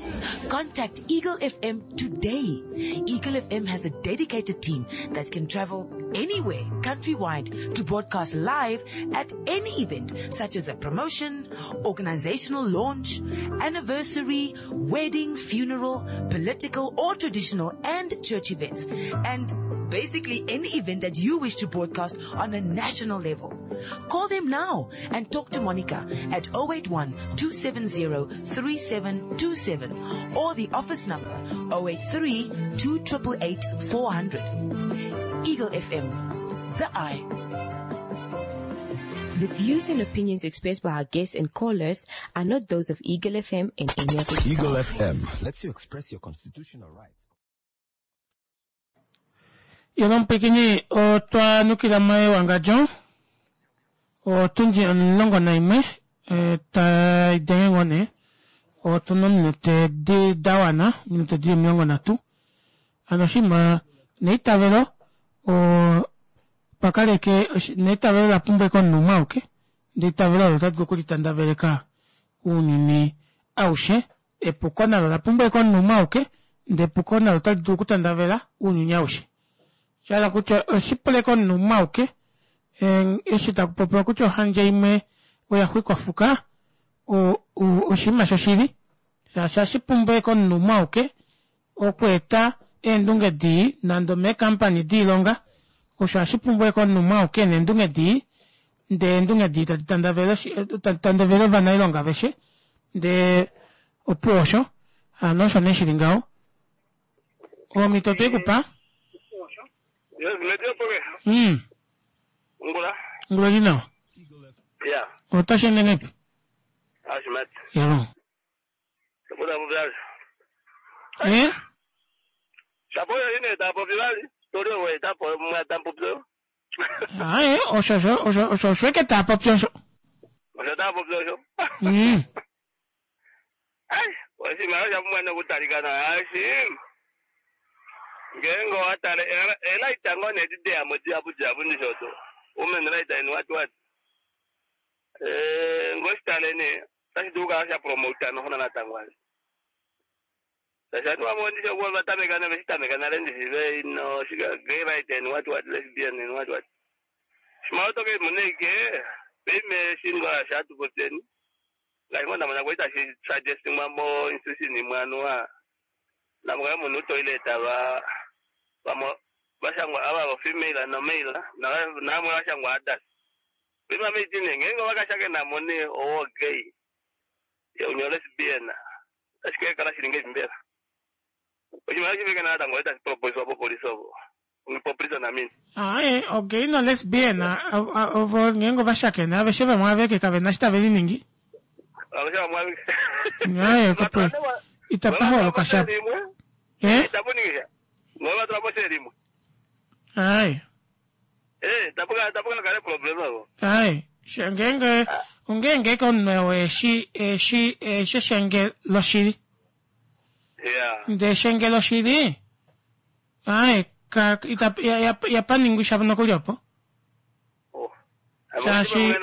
Contact Eagle F M today. Eagle F M has a dedicated team that can travel anywhere, countrywide, to broadcast live at any event, such as a promotion, organizational launch, anniversary, wedding, funeral, political or traditional and church events, and basically any event that you wish to broadcast on a national level. Call them now and talk to Monica at oh eight one, two seven zero, three seven two seven or the office number oh eight three, two triple eight, four hundred. Eagle F M, the eye. The views and opinions expressed by our guests and callers are not those of Eagle F M and any of its Eagle staff. F M lets you express your constitutional rights. Yona omupwikini otwa nukila mewangadjo otundi omulongo naimwe tai denge ngoo nee otuna ominute di dawana ominute dili omilongo nhatu hano oshinima neitavelo o pakaleke neitavelo lapumbwa komunhu umwe auke ndee eitavelo olo otali dulu okulitandaveleka ounyuni aushe epuko nalo olapumbwa komunhu umwe auke ndee epuko nalo otali dulu okutandavela ounyuni aushe shahala kutya oshipule komunhu umwe auke eshi takupopiwa kutya ohandje imwe oya xwikwa fuka oshinima shoshili shaashi ashipumbwe komunhu umwe auke okweeta eendunge dii nande omeekampani diilonga osho ashipumbwe komunhu umwe auke neendunge dii ndee eendunge dii tadi tandavele tadi tandavele ovanailonga aveshe ndee opuwo osho hano osho nee shili ngaho omhito tweikupa. Yes, medio poke. Mm. Ngula. Ngula lina. Yeah. Otashe nenepi? Ashmat. Yalo. Saboda bubali. Eh? Saboda ine tapo bibali. Tori we tapo mwa tampo byo. Ah, eh, osho osho osho osho osho ke tapo byo osho. Osho tapo byo osho. Mm. Ai, oshi mara ya mwana kutalikana. Ashim. Ngengo watale ela itango ne dide ya modi abu jabu ni shoto. Women right and what what. Eh ngositale ne tashi duka sha promote no hona natangwa. Tasha tu amondi sho kwa batameka na beshitameka na lendi sibe no shiga gay right and what what lesbian and what what. Shimauto ke muneke peme shinga shatu koteni. Like mona mona kwaita shi suggesting mambo institution ni mwanwa. Na mga munhu toilet ava vamwe vashangwa ava va female na male na na mwe vashangwa others. Bima meeting ngenge vakashake na mone owo gay. Ye unyo lesbian. Ashike kala shilinge mbela. Oji mara chiveke na tango eta propose wa police obo. Ungi police na mini. Ah eh okay no lesbian ovo ngenge vashake na aveshe vamwe aveke kave na shita veli ningi. Aveshe vamwe aveke. Aye kopo. Itapaholoka sha. Eh? Itapuningisha. Ngoba tula limwe. Ai. Eh, tapuka tapuka kale problem abo. Ai, ngenge ongenge konwe eshi eshi eshi shenge loshili. Ya. Ndee shengelo shili ae ka ita ya, ya, ya paningwisha nokuli opo. Shaashi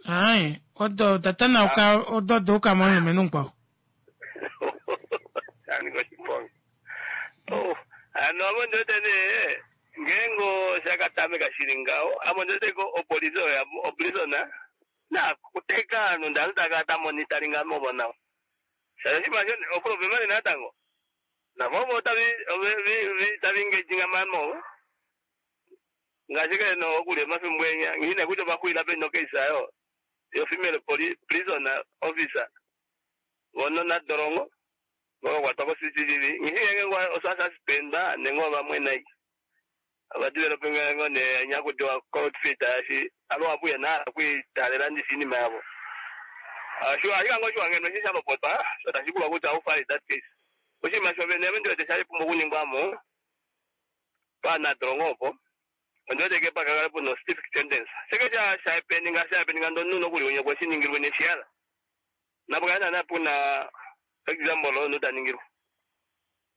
ae odo da tanauka odo duuka momulumenhu mukwao. Oh, hano amo ndiwete nee ngeenge oshakatameka shili ngaho amo ndiwete ko opolisi oyo oprisona nakuteka ovanhu ndee ovanhu takala tamonitaringa movo nawa shaashi oshinima osho oproblema natango navo ovo tavi taviengaging mamo ngaashi kene okulya omafimbo enya nghine kutya ovaxulila peni nocase ayo yo female prisoner officer vono nadolongo vokakwatwa ko C C T V nghishi ngenge osasuspendwa nenge ovamwe nai ovadeveloping ngo ne nyakudiwa cold feet ashi alowapuya nahala okwiitalela ndishi iinima yavo ashike ngo oshiwangeno eshi shalopotwa sho tashi pulwa kutya how far is that case oshinima shovene ame ndiwete shali pumbwa okuningwamo paanadolongo opo ondiwete ke pakakale puna specific sentence sheke shaepeninga shaepeninga ndonu nokuli unye kweshiningilwe neshiyala napo kale naana puna example oyo taningilwa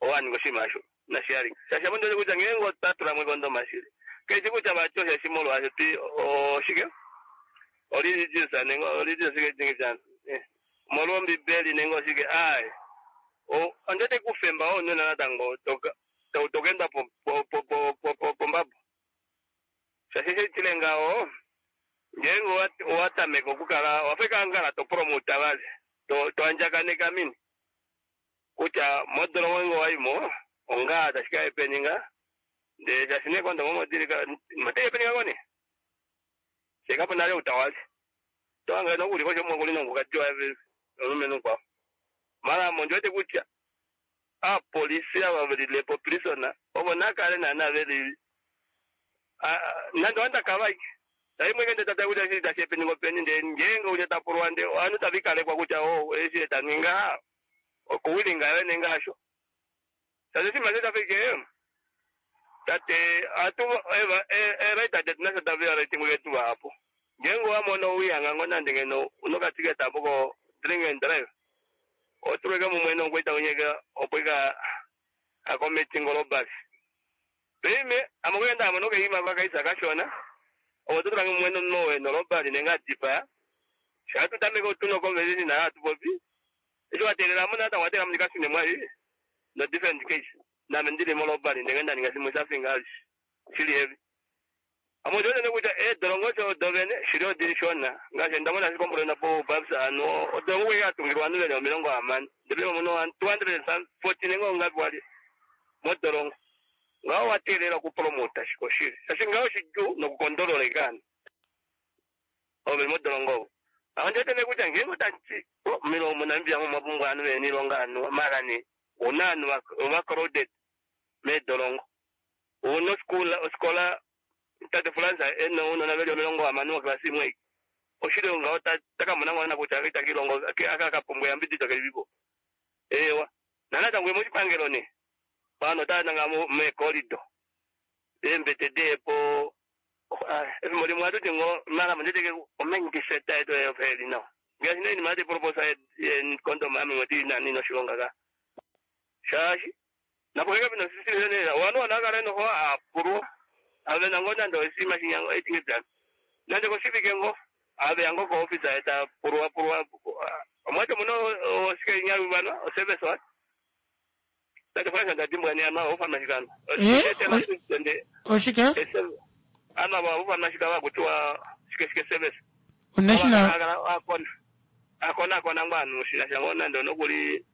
owaninga oshinima asho nashiyali shaashi ame ndiwete kutya ngeenge otatulamo ekondoma shili keshi kutya vati osheshi molwaasho ti oshike oreligious nenge religious ke molwa ombibeli nenge oshike aye ondiwete kufemba ounona natango tokenda pombabo shaashi shitile ngaho ngeenge owatameka okukala wafeka ngala topromota vali toandjakaneka mini kutya modolongo nge waimo onga tashi kaepeninga ndee shaashi nekondomo modilika moteepeninga koni shekapo nale utawali towange nokuli kosho mwekuli nongukatiwa omulumenhu kwao mala amo ndiwete kutya apolisi ava velilepo prisona ovo nakale naana veli nande wandakavaike taimwe ngende tata kutya eshi tashi epeningo peni ndee ngeenge unya tapulwa ndee ovanhu tavikalekwa kutya o eshi etaninga okuwilinga yo nenge asho shaashi oshinima sho tafike tate atu eraita detu nasho taviaratingwe ketu vahapu ngeenge owamono owihanga ngo nande ngeno unokatiketa apo ko drink and drive otulweke mumwe nongoita unyeka opo ika akometingo lobasi peime amokuyenda amono keima vakaisa kashona opo tutulange mumwe nowe nolobali nenge adipaya shatutameka otuno conversation naye atupopi eshi watelela mo natango watela mundikasine mwai no different case name ndili molobali ndenge ndaninga shimwe shafinga shili heavy amo ndiwete kutya eedolongo osho dovene shili odili shona ngaashi ndamona shikombolona po babs ano odolongo kweke atungilwa ovanhu veli omilongo hamano ndele muno two hundred and forty nenge ongapi wali modolongo ngaho watelela okupromota shiko shili shaashi ngaho shidjuu nokukondololeka ovanhu ovo veli modolongo ovo aho ndiwete kutya ngeenge otati milongo moNamibia mo mwapumbwa ovanhu veli niilonga anu mara nee una ovanhu overcrowded meedolongo una oskola tate Fransa ena ounona veli omilongo hamano moklasi imwe oshili ngaho takamona ngwana kutya itakilongo akakapumbwa eyambidido kelipipo ewa nanatango moshipangelo ne pano otananga meekolido eembete deepo efimbo limwe atuti ngo mara mondeteke omendiseta yetu efeli nawa ngaashi noinima yati proposa condom ame ngoti nani noshilonga ka shaashi napo keke pino sisile wanu wanakale noho apulwa ave nango nande osima shinyango etingedana nande koshivike ngo ave yango ko office eta pulwa pulwa omwati muno osike nyaluvanwa oservice wat tate fana ndadimbwa ni ama ofanashikano oshike ama ofanashika vakutiwa shike shike service national akona akona akona ngwanu shina shango nande nokuli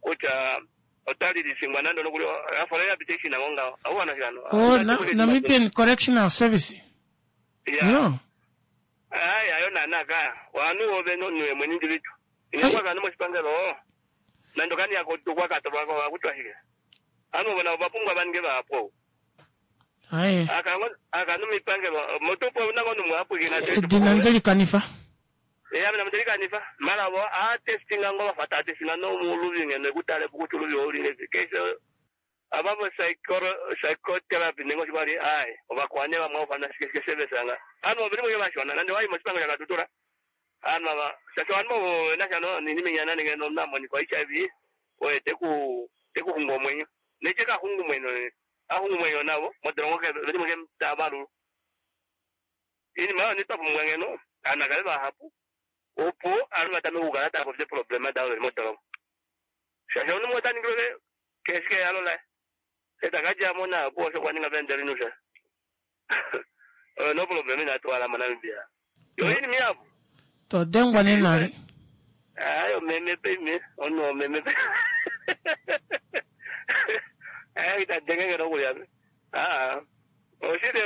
kutya otalilishingwa nande nokuli afola application nango ngaho aufanashikano oh Namibian Correctional Service yeah no ayi ayo nanaka wanu ove nonwe mweni ndilitu inyakwakano moshipangelo nando kani yakotukwakatolwako akutwashike anu vona vapumbwa vanenge vapo aye akano mipangelo motupo nango numwapwikina edina ndelikanifa eya mina mndelikanifa mara vo atestinga ngo vafata atestinga nomuluvi ngeno ekutale kuti uluvi oulile kese avavo psychotherapy nenge oshivali ayi ovakwane vamwe ofana shike service anga anu ovili mwe vashona nande wayi moshipangelo shakatutura Aanhu ava shaashi ovanhu ovo ve na sha no- noinima inya nande ngeno omunhu a monika H I V oye te ku te ku xungu omwenyo neke ka xungu omwenyo a xungu omwenyo navo modolongo ke veli ke tava valulwa iinima oyo twa pumbwa ngeno aanhu akale vahapu opo aanhu vatameke okukala tava popi eeproblema davo veli modolongo shaashi omunhu umwe ota ningilwe kehe shike ehalo laye eta kadja mo nayo opo osho kwa ninga venderinusha oyo no problema inatu hala moNamibia yo iinima ihapu To dengwa nenale. Ayo meme pe omunhu omeme pe ayo ita denge ngeno okulya pe aa oshili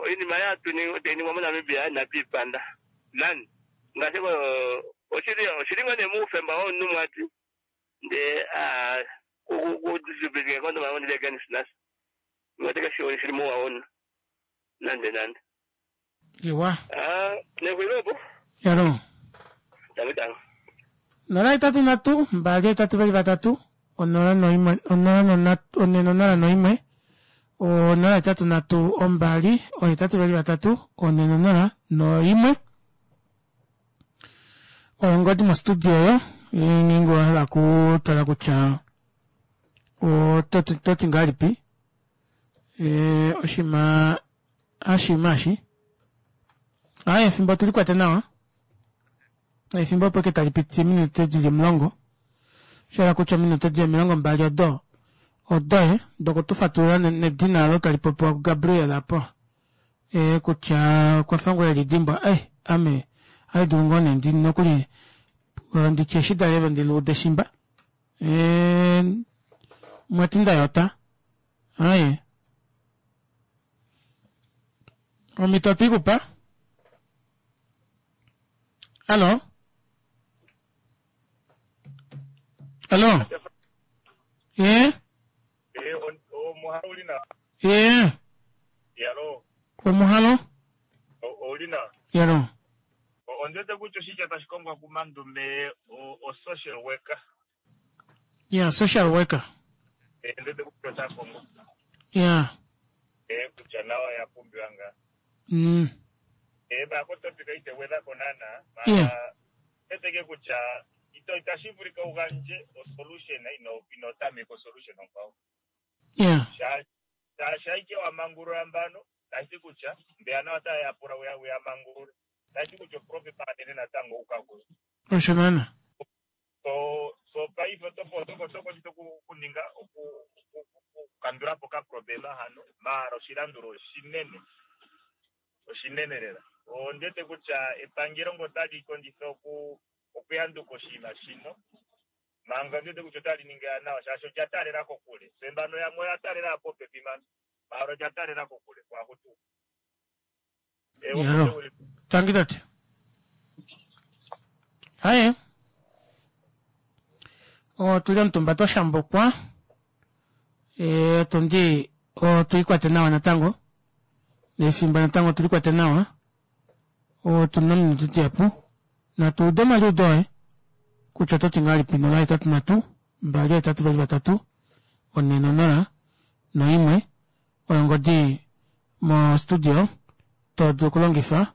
oinima yatu tayi ningwa moNamibia inatu ipanda nani ngaashi oshili oshili ngoo nee muufemba womunhu mwati ndee aa kudistribute condom ondili against nasi ngoteke shili muwa womunhu nande nande Iwa. aa nexulilo Yalo. Tango tango Nola hetatu nhatu, mbali hetatu vali vatatu, onola noimwe, onola nonhatu, one nonola noimwe, onola hetatu nhatu ombali, ohetatu vali vatatu, one nonola noimwe. Oyo ongodi mostudio oyo, ngeenge owahala okutala kutya ototi toti ngahelipi ee oshinima hashinima eshi aaye efimbo tulikwate nawa efimbo opo ashike tali piti ominute dili omulongo shahala kutya ominute dili omilongo mbali odo odoye dokutufatulula nedina olo tali popiwa kuGabriel apo ee kutya okwafa ngoo elidimbwa eh ame ohaidulu ngoo nee ndi nokuli nditye eshi daleve ndiluude shimba ee mwati ndayota aaye omhito otwiikupa Allo Allo Ye Ye Yalo Omuhalo ouli nawa Yalo ondiwete kutya oshitya tashi kongwa kumandume o-social worker Yeah, social worker. Ndiwete kutya ota kongwa Yeah. kutya nawa ya pumbiwa ngaa Mm. bakotopika ite gwedhako naana Yeah. eteke kutya ito itashi vulika wu gandje osolution ino ino tameka osolution onkwawo Yeah. shaashi aike wa mangulula mbano tashi ti kutya mbeya nawa otaya yapula uya uya mangulule tashi ti kutya oprofit anene natango uka kuyo Osho naana. so so paife oto otoko otoko okuninga okukandula po okaproblema hano maala oshilandulo oshinene oshinene lela ondiwete kutya epangelo ngo otali kondjitha oku okuyanduka oshinima shino manga ondiwete kutya otali ningi nawa shaashi olya taalela kokule se mbano yamwe oya taalela popepi mano maala olya taalela kokule kwahutu Yalo. Tangi tate. Haye. Otuli omutumba twa shambukwa ee otundi otuikwate nawa natango nefimbo natango tulikwate nawa otuna ominute dihapu natu ude omaliudo oye kutya ototi ngahelipi nola hetatu nhatu mbali hetatu vali vatatu one nonola noimwe oyo ongodi mo studio todulu okulongifa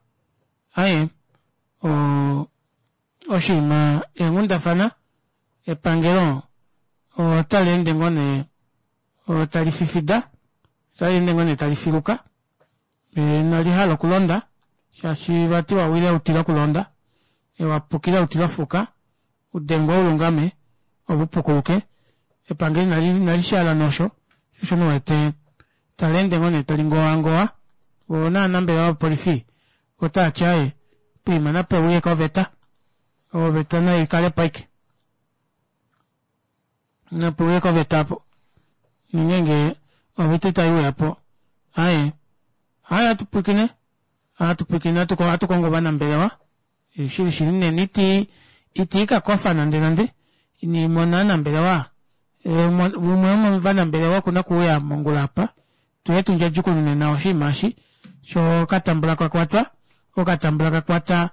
aye o oshinima eenghundafana epangelo otali ende ngoo nee tali fifida otali ende ngoo nee tali filuka inali hala okulonda shaashi vati wawile utila okulonda wapukile utila ofuka udengwa ulungame opo upukuluke epangelo inali inali shaala nosho shosho niwete tali ende ngoo nee tali ngowangowa voo naanambelewa vopolifi otaati aaye poima nape uye koveta oveta naikalepo aike nape uye koveta apo nongenge oveta itaiuyapo aaye aaye atupwiikine atupwiikine atukongo ovanambelewa shili shili nena iti itiikakofa nande nande inimona ovanambelewa umwe womovanambelewa okuna okuuya mongula apa tuye tundjadjukunune nawa oshinima eshi sho okatambula kakwatwa okatambula kakwata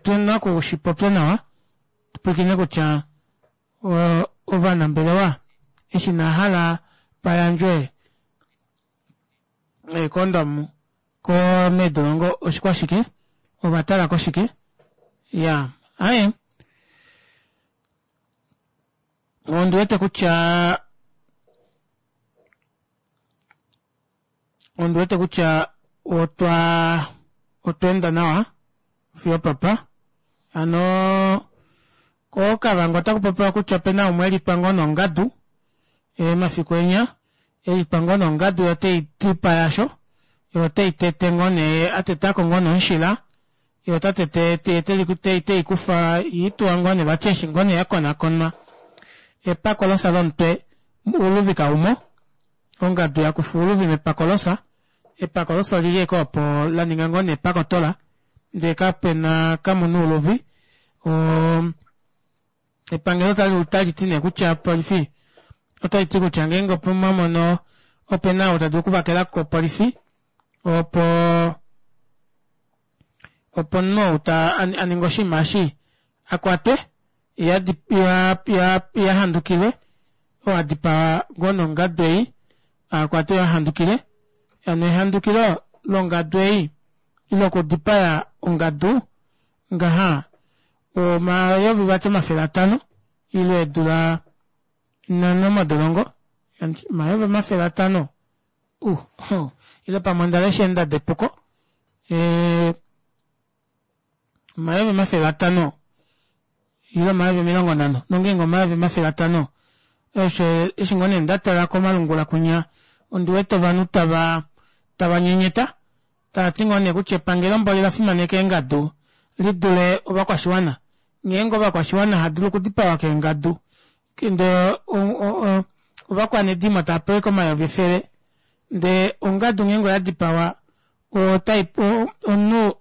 tuna okushipopya nawa tupwiikine kutya ovanambelewa eshi nahala payandjwe eekondomu ko meedolongo oshikwashike ovatala koshike Ya, aye ondi wete kutya ondi wete kutya otwa otwa enda nawa fiyo papa. Hano koKavango otaku popiwa kutya opena umwe elitwa ngoo nongadu emafiku enya elitwa ngoo nongadu yo tei tipa yasho yo tei tete ngoo nee atetako ngoo nee omushila ye ota tete tei teikufa ituwa ngoo nee vati eshi ngoo nee yakonakonwa epakolosa lomutwe ouluvi kaumo ongadu yakufa ouluvi mepakolosa epakolosa olili ashike opo laninga ngoo nee epakotola ndee kapena kamuna ouluvi oo epangelo otaliti nee kutya opolifi otaiti kutya ngeenge omwamono opena ou tadulu okuvakelako kopolifi opo opo omunhu ou aninga oshinima eshi akwatwe yee ahandukilwe oo adipaa ngoo nee ongadu ei akwatwe yee ahandukilwe hano ehandukilo longadu ei ile okudipaya ongadu ngaha omayovi vati omafele atano ile eedula nhano modolongo omayovi omafele atano uh ile pamwe ondalesha eendado epuko ee omayovi omafele atano ile omayovi omilongo nhano nongeenge omayovi omafele atano eshi ngoo nee ndatala komalungula kunya ondiwete ovanhu tava tava nyenyeta taati ngoo nee kutya epangelo mboli olafimaneka eengadu lidule ovakwashiwana ngeenge ovakwashiwana haadulu okudipawa keengadu ndee ovakwanedimo tavapewa ashike omayovi efele ndee ongadu ngeenge oyadipawa otai omunhu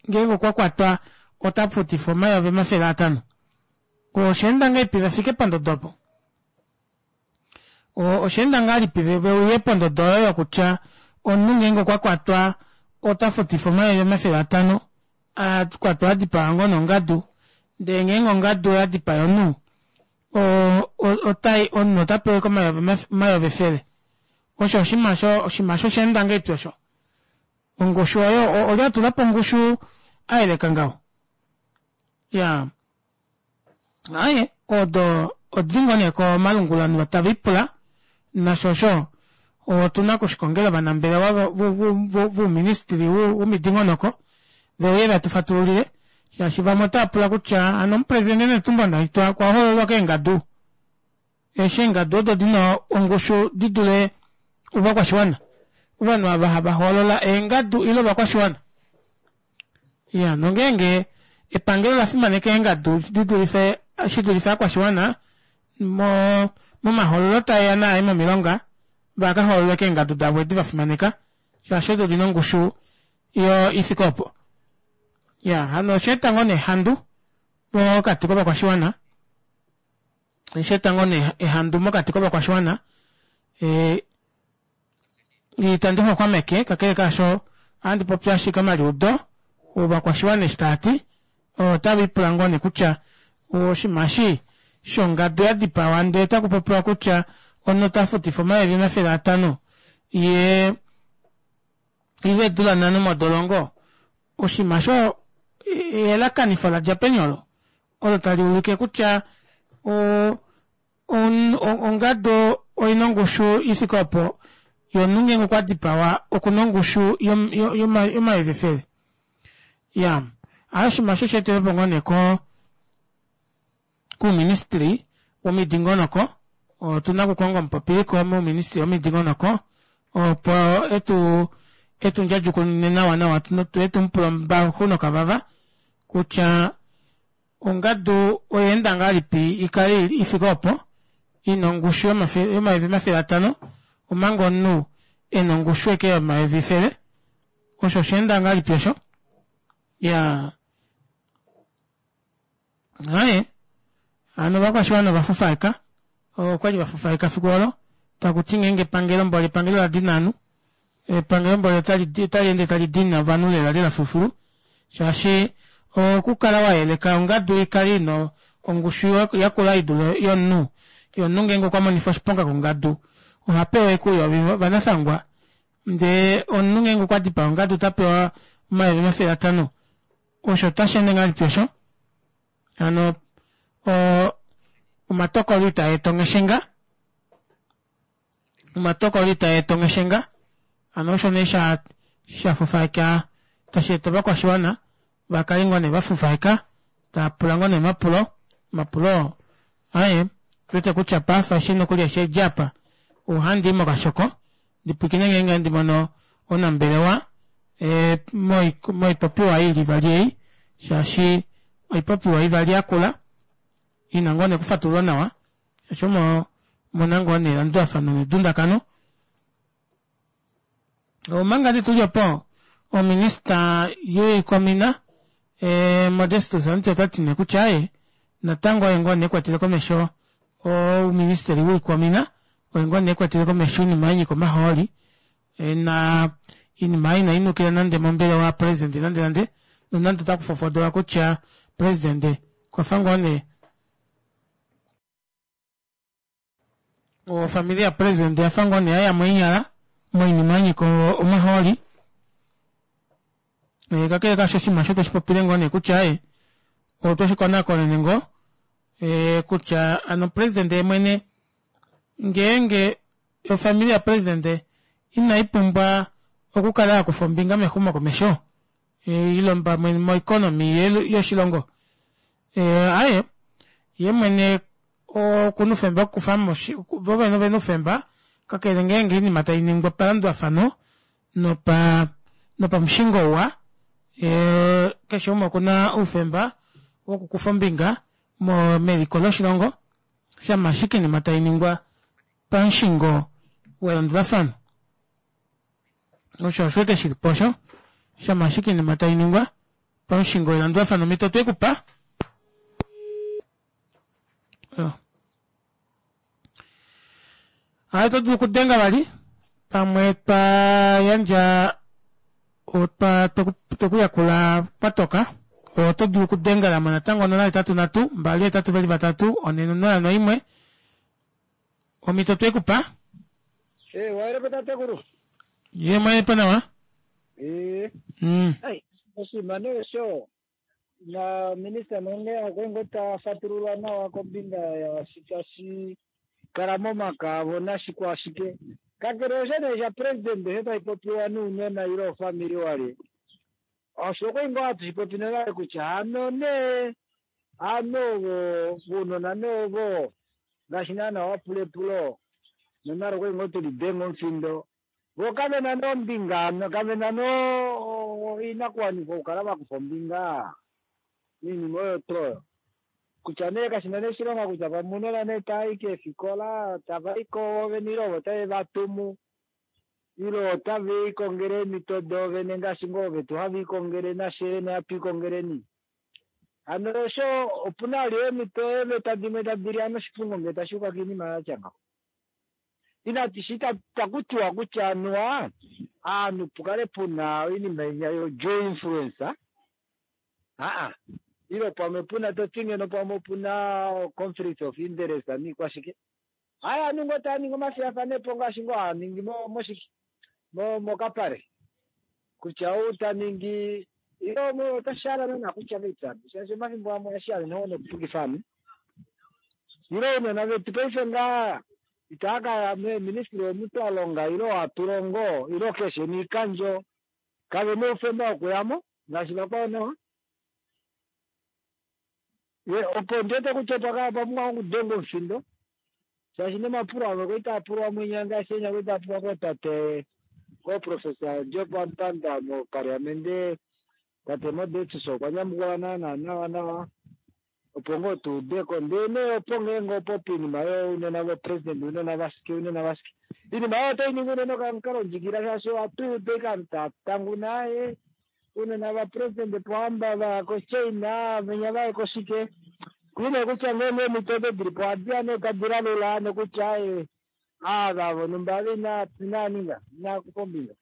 ngeenge okwakwatwa otafutifwa omayovi omafele atanho oshaenda ngahelipi vafike pondodo opo oshaenda ngahelipi veuye pondodo oyo yokutya omunhu ngeenge okwakwatwa otafutifwa omayovi omafele atano akwatwa adipawa ngoo nongadu ndee ngeenge ongadu oyadipaya omunhu otai omunhu otapewa ashike omayovi efele osho oshinima osho oshinima osho oshaenda ngahelipi osho ongushu oyo olye atulapo ongushu ayeleka ngaho iyaa aaye odo odili ngoo nee komalungula ovanhu tavipula nasho osho otuna okushikongela ovanambelewa vouministry womidingonoko veuye vetufatululile shaashi vamwe otaapula kutya hano omupresident Netumbo Nandi-Ndaitwah okwa hoololwa keengadu eshi eengadu odo dina ongushu didule ovakwashiwana ovanhu ava hava hoolola eengadu ile ovakwashiwana iya nongeenge epangelo olafimaneka eengadu didulife shidulife ovakwashiwana mo momahoololo taeya naaye momilonga vakahoololwe keengadu davo edi vafimaneka shaashi odo odina ongushu yo ifike opo iya hano oshaeta ngoo nee ehandu pokati kovakwashiwana oshaeta ngoo nee ehandu mokati kovakwashiwana ee itandi xwaxwameke kakele kaasho ohandi popi ashike omaliudo ovakwashiwana eshi taati otavipula ngoo nee kutya oshinima eshi shongadu yadipawa ndee otakupopiwa kutya omunhu otafutifwa omayovi omafele atano yee ile eedula nhano modolongo oshinima osho eyelakanifo ladja peni olo olo tali ulike kutya o ongadu oina ongushu ifike opo yee omunhu ngeenge okwadipawa okuna ongushu yomayovi efele iyaa aaye oshinima osho osheetelwepo ngoo nee ko kouministry womidingonoko otuna okukonga omupopiliko mouministry womidingonoko opo etu etu ndjadjukunune nawa nawa fyee tumupule ombaxu nokavava kutya ongadu oyaenda ngahelipi ikale ifike opo ina ongushu yomayovi omafele atano omanga omunhu ena ongushu ashike yomayovi efele osho oshaenda ngahelipi osho iyaa aaye hano ovakwashiwana ovafufaeka okwali vafufaeka efiku olo takuti ngeenge epangelo mboli epangelo oladina ovanhu epangelo mboli otali ende tali dini ovanhu lela lela filufilu shaashi okukala wayeleka ongadu ikale ina ongushu yakula idule yomunhu yee omunhu ngeenge okwamonifwa oshiponga kongadu ohapewa ashike ouyovi vanafangwa ndee omunhu ngeenge okwadipaa ongadu otapewa omayovi omafele atano osho otasheende ngahelipi osho Hano omatokolo itaa eta ongeshenga omatokolo itaa eta ongeshenga hano osho nee sha shafufaeka tashi eta ovakwashiwana vakale ngoo nee vafufaeka taapula ngoo nee omapulo omapulo aaye ondiwete kutya paife eshi nokuli eshi edjaapa ohandii mokashoko ndipwiikine ngeenge handi mono omunambelewa moipopiwa ili ivali ei shaashi oipopiwa ivali yakula ina ngoo nee okufatululwa nawa shaashi omo omuna ngoo nee elandulafano nedundakano. Omanga nee tuli opo ominista yoikwamina Modestus Amuti otati nee kutya aaye natango oye ngoo nee ekwatele komesho ouministeli woikwamina oye ngoo nee ekwatele komesho oinima yanyika omahooli na oinima ei inainukila nande mombelewa yapresident nande nande nonande otaku fofodola kutya president okwafa ngoo nee ofamili yapresident oyafa ngoo nee yayamo eenyala moinima yanyika omahooli kakele kaasho oshinima osho tashi popile ngoo nee kutya aaye otweshi konakonene ngoo kutya hano president yemwene ngeenge ofamili yapresident inaipumbwa okukala yakufa ombinga mexumokomesho ile pamwe moeconomy yoshilongo aaye yemwene okuna oufemba wokukufamo vo vene ovena oufemba kakele ngeenge oinima tainingwa palandulafano nopa nopamushingo uwa keshe umwe okuna oufemba wokukufa ombinga meliko loshilongo shama ashike oinima tainingwa pamushingo welandulafano osho osho ashike shilipo osho shama ashike oinima tainingwa pamushingo welandulafano omhito otwekupa aaye oto dulu okudenga vali pamwe twa yandja otwa twekuyakula kwatoka oto dulu okudengelamo natango onola hetatu nhatu mbali hetatu veli vatatu one nonola noimwe omhito twekupa waelepo tatekulu ye mwaelepo nawa ee mm. oshinima nee osho na minista mwene okwe ngoo tafatulula nawa kombinga yashi tashi kala momaka avo nashikwashike kakele osho nee sha president osho tashi popiwa nounona ile ofamili wale osho okwe ngoo hatu shipopi nonale kutya hano nee hano ovo vounona nee ovo ngaashi naana wapula epulo nonale okwe ngoo tulidenga omufindo vo kavena nee ombinga kavena nee oinakuwanifwa okukala vakufa ombinga oinima oyo tuu oyo kutya nee kashina nee oshilonga kutya pamwe ounona nee tavai keefikola tavaiko vovene ile ovo tave vatumu ile otave ikongele eemhito doovene ngaashi ngoo vetu have ikongele nafye hatu ikongeleni hano osho opuna vali eemhito eeveta dimwe tadi li noshipungo ngee tashiuka koinima yatya ngaho inati takutiwa kutya anuwa aanhu pukale puna oinima inya yo due influence aa ile pamwe puna toti ngeno pamwe opuna conflict of interest niikwashike haya ovanhu ngoo tava ningi omafiyafanepo ngaashi ngoo hava ningi moshike mokapale kutya ou ta ningi ile otashi hala naana kutya veitano shaashi omafimbo amwe ohashi hala nokupukifa ovanhu ile ounona vetu paife ngaa itava kaya meeministry omu twalonga ile hatu longo ile keshe miikandjo kavena oufemba wokuyamo ngaashi vakwao nawa opo ndiwete kutya otwa pumbwa okudenga omufindo shaashi nomapulo amwe kwali taapulwa mwinya ngaashi enya kwali taapulwa kootate kooprofessor Job Amupanda mopaliamente tate Modestus okwa nyamukula naana nawa nawa opo ngoo tuudeko ndee nee opo ngeenge opo poinima younona vopresident ounona vashike ounona vashike oinima oyo otai ningi unene okamukalo ndjikila shaashi ohatu udu ashike ovanhu tava tanguna ounona vapresident Pohamba vaya koChina venya vaye koshike kuine kutya ngeenge eemhito odo dilipo ohadiya nee tadi lalula nokutya ava vonhumba ava inaa ninga inaa kufa ombinga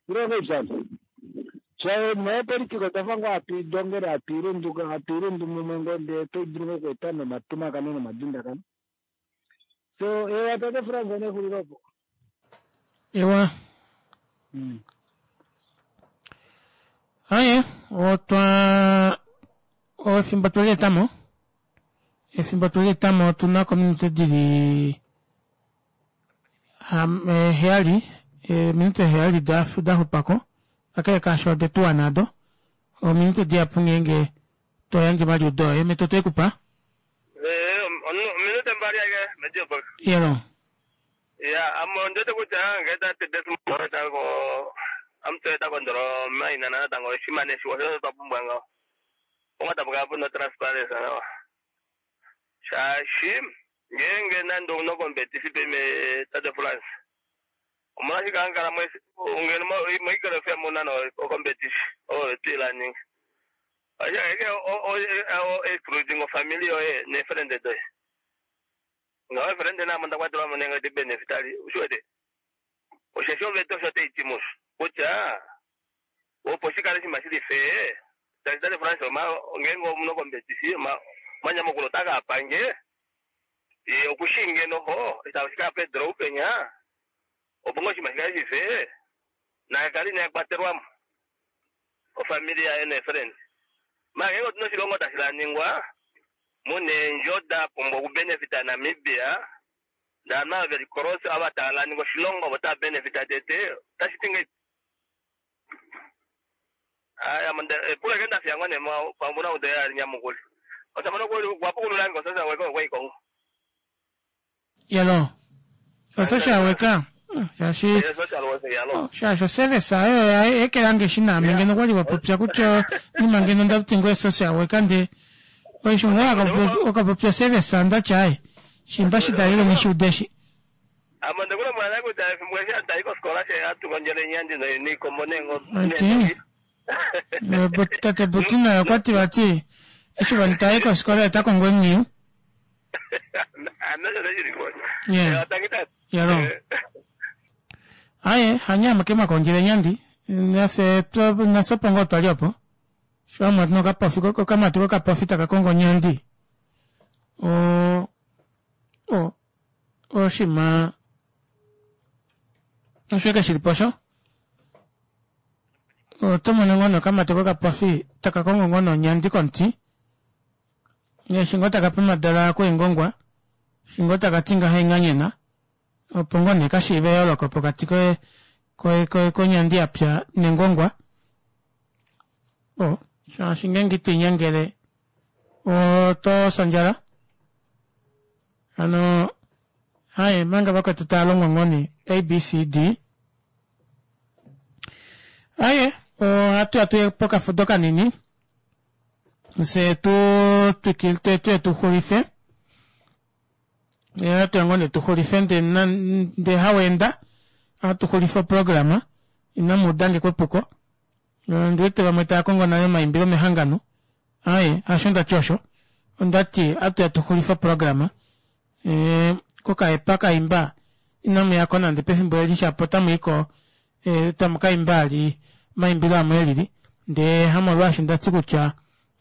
ile ngahelipi neepolitika otwafa ngoo hatu idongele hatu ilunduka hatu ilundu mumwe ngoo ndee otai dulu ngoo okweeta nomatumakano nomadundakano so ewa tate Frans nexulilo opo ewa aye otwa Efimbo twelietamo efimbo twelietamo otuna kominute dili heyali eminute heyali daxupako kakele kaasho odetuwa nado ominute dihapu ngeenge toyandje omaliudo oye meto toikupa ominute mbali ake mediobox yelo ya amo ndiwete kutya ngee tate Desmond tango amutwe takondolo mainana natango oshimane shiwa osho twapumbwa ngaho onga puna transparency nawa shaashi ngeenge nande omunokombetisi peme tate France omolwashike hankala ngeno moikelo F M muna okombetisi oyo twiilaninga ashike excluding ofamily yoye neefriend doye ngaho efriend namo ndakwatelwamo nenge ti benefitali ushiwete osheshi oveta osho taiti musho kutya opo shikale shima shili fee tate France ngeenge omunokombetisi omanyamukulo otaka apange okushinge noho itashika Pedro upenya opo ngo shima shikale shife nakali nakwatelwamo ofamily yaye neefriend mara ngenge otuna oshilongo tashi laningwa muna eendjo da pumbwa okubenefita Namibia ndana veli cross ava tava laninga oshilongo ovo tava benefita tete otashi ti ngahelipi? Aya epulo eke ndafiya ngoo nee pamwe ou teya alinyamukule otamona wapukululange osocial worker okwaikongo yelo osocial worker shaashi shaashi oservice ayo ekelange shi naame ngeno okwali wapopya kutya nima ngeno ndakuti ngoye social worker nde oisho ngoye okapopya service ndatya aye shimba shidalile ngishiudeshi amo ndikulombwela kutya efimbo eshi hatayi kofikola she hatukondjele enyandi niikombo ati tate Butina okwati vati eshi vanhu tayi kofikola etakongo emwiyu yalo aye hanyama ke makondjele enyandi nase nasopo ngoo twali opo sho amwe nokapofi kokamati kokapofi taka kongo onyandi o o oshima osho eke shilipo osho oto mono ngoo nokamati kokapofi taka kongo ngoo nonyandi komuti eshi ngoo taka pemadala kuengongwa eshi ngoo taka ti ngaha enganyena opo ngoo nee kashiive eyooloko pokati koye koye konyandi yapya nengongwa o shaashi ngeenge itoinyangele oto sandjala hano haye manga vakwetu tava longwa ngoo nee A B C D aye ohatu ya tuye pokafudo kanini fye tu twikile tuye tuxulife ohatu ya ngoo nee tuxulife nde haweenda ohatu xulife oprograma inamu udange kwepuko ndiwete vamwe tava kongo nale omaimbilo mehangano aye hasho ndati osho ondati atuya tuxulife oprograma kokaepa kaimba inamuyako nande pefimbo eli shapo otamuiko tamu kaimba ali omaimbilo amwe elili ndee hamolwaashi ndati kutya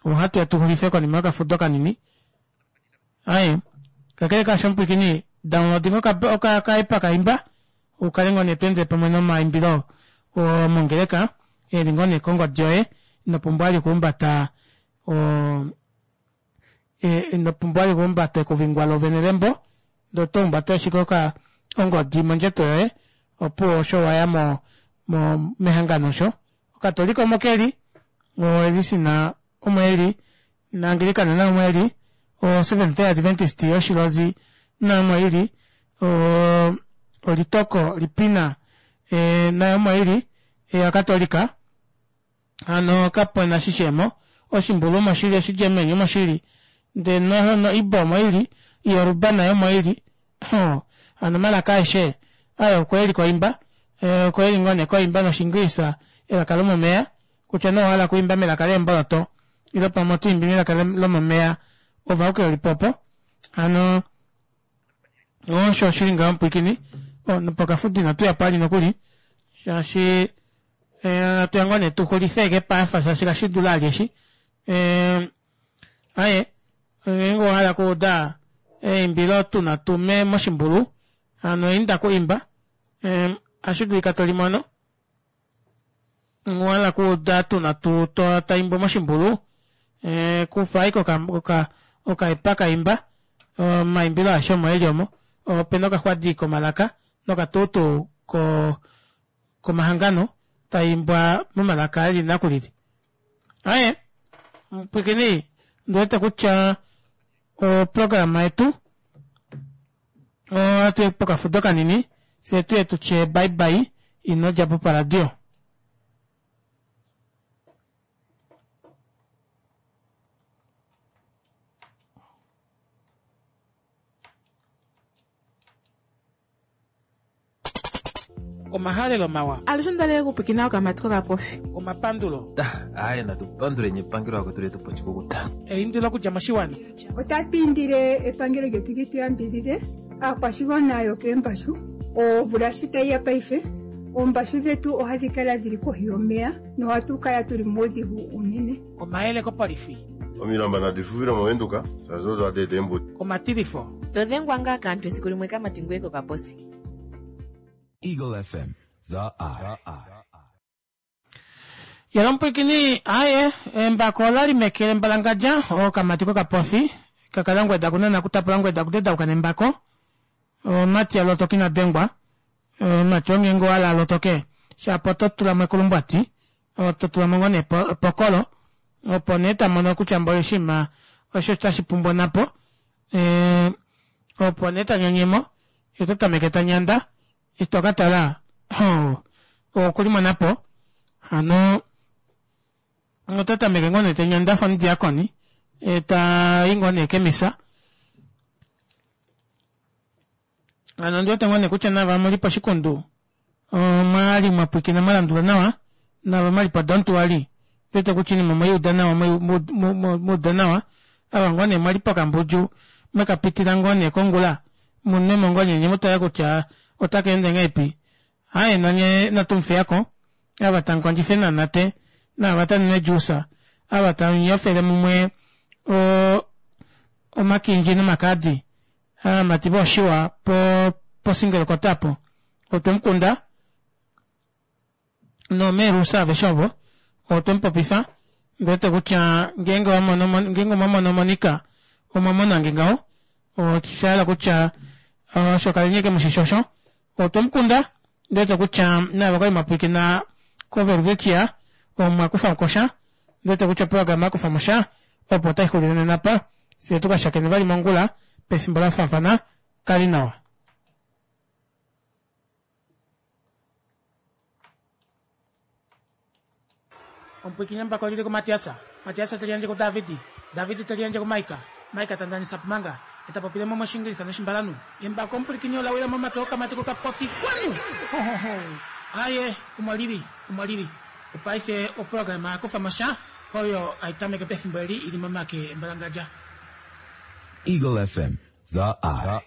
ohatu ya tuxulife konima yokafudo kanini aye kakele kaasho mupwikini downloading okaepa kaimba ukale ngoo nee toendele pamwe nomaimbilo omongeleka eli ngoo nee kongodi yoye inopumbwa ali okuhumbata inopumbwa ali okuhumbata ekuvingwa lovene lembo ndee oto humbata ashike ongodi mondjato yoye opuwo osho waya mo mehangano osho okatolika omo keli oelisina omo eli naangilikana nayo omo eli o Seventh Day Adventist yoshilozi nayo omo ili olitoko lipina nayo omo ili yakatolika hano kapena shishemo oshimbulu omo shili oshigermany omo shili ndee no Igbo omo ili Yoruba nayo omo ili hano omalaka aeshe ayo okweli koimba okweli ngoo nee koimba noshinglisa elaka lomomeya kutya nee owahala okuimba melaka leemboloto ile pamwe otoimbi melaka lomomeya ove auke olipopo hano osho oshili ngaho mupwikini nopokafudo inatuya po ali nokuli shaashi atuya ngoo nee tuxulife eke paafa shaashi kashidula ali eshi aye ngeenge owahala okuuda eimbilo tuna tume moshimbulu hano inda kuimba ohashi dulika tolimono owahala okuuda tuna taimbo moshimbulu E, kufa ashike oka, oka, okaepa kaimba omaimbilo aeshe omo eli omo opena okaxwadi komalaka nokatuutu ko komahangano taimbwa momalaka eli nakulili. Aye mpwikini ndiwete kutya oprograma yetu ohatu pokafudo kanini fye tuye tutye bye bye ino djapo paradio. Omahalelo mawa. Alushe ndaleke kupwikina okamati kokapofi. Omapandulo. Aye natupanduleni epangelo akwetu letu pochikukuta. Eindilo okudja moshiwana. Otatu indile epangelo lyetu li tu yambidhidhe aakwashigwana yokeembashu omvula shi tayi ya paife oombashu dhetu ohadhi kala dhili kohi yomeya nohatu kala tuli muudhigu unene. Omayele kopolifi. Omilamba nadi fufile movenduka shaashi odo hadi eta eembuto. Omatilifo. Todhengwa ngaa kaantu esiku limwe kamati ngweye kokaposi. Eagle F M, the eye. Yalompwikini aye embako olali mekele mbalangadja okamati kokapofi kakala ngweda kunana kutapula ngweda kutedauka nembako omati alotoki nadengwa omati ongengo wala alotoke shapo totulamo ekulumbwati totulamo ngoo nee epokolo opo nee tamono kutya mboli oshinima osho tashi pumbwa napo e, opo nee tanyonyemo ye totameke tanyanda ito katala okulimonapo hano otatameke ngoo nee tanyanda fa omudiakoni tayi ngoo nee kemisa hano ondiwete ngoo nee kutya nava muli poshikundu omwali mwapwikina mwalandula nawa nava mwali po don't worry ndiwete kutya oinima omweiuda nawa mweuda nawa ava ngoo nee mwali pokambudju mwekapitila ngoo nee kongula munwemo ngoo nee nye mutale kutya otaka ende ngahelipi aye nanye natumufiyako ava tamukondjife nanate naava tanune juice ava tamunyofele mumwe omakindji nomakadi aamati vooshiwa po posingelo kotapo otwemukunda nomeerusa aveshe ovo otwemupopifa ndiwete kutya ngeenge omwamono Monica omwamonange ngaho oshahala kutya osho kalinye mushisho otwemukunda ndiwete kutya navo kwali mwapwilikina koVelvikia omwakufa mukosha ndiwete kutya oprograma yakufa mosha opo taixulile nena pa fye tukashakene vali mongula pefimbo lafaafana kali nawa. Ompwikini mbako lili ku Matiasa, Matiasa teliandje ku Davidi, Davidi teliandje ku Maika, Maika tandanisa pumanga, etapopile mo moshingilisa noshimbalanu. Embako ompwilikini olawila momake okamati kokapofi kwanu. Aye, umwalili, umwalili. Opaife oprograma yakufa mosha oyo aitameke pefimbo eli ili momake embalangadja. Eagle F M, the eye.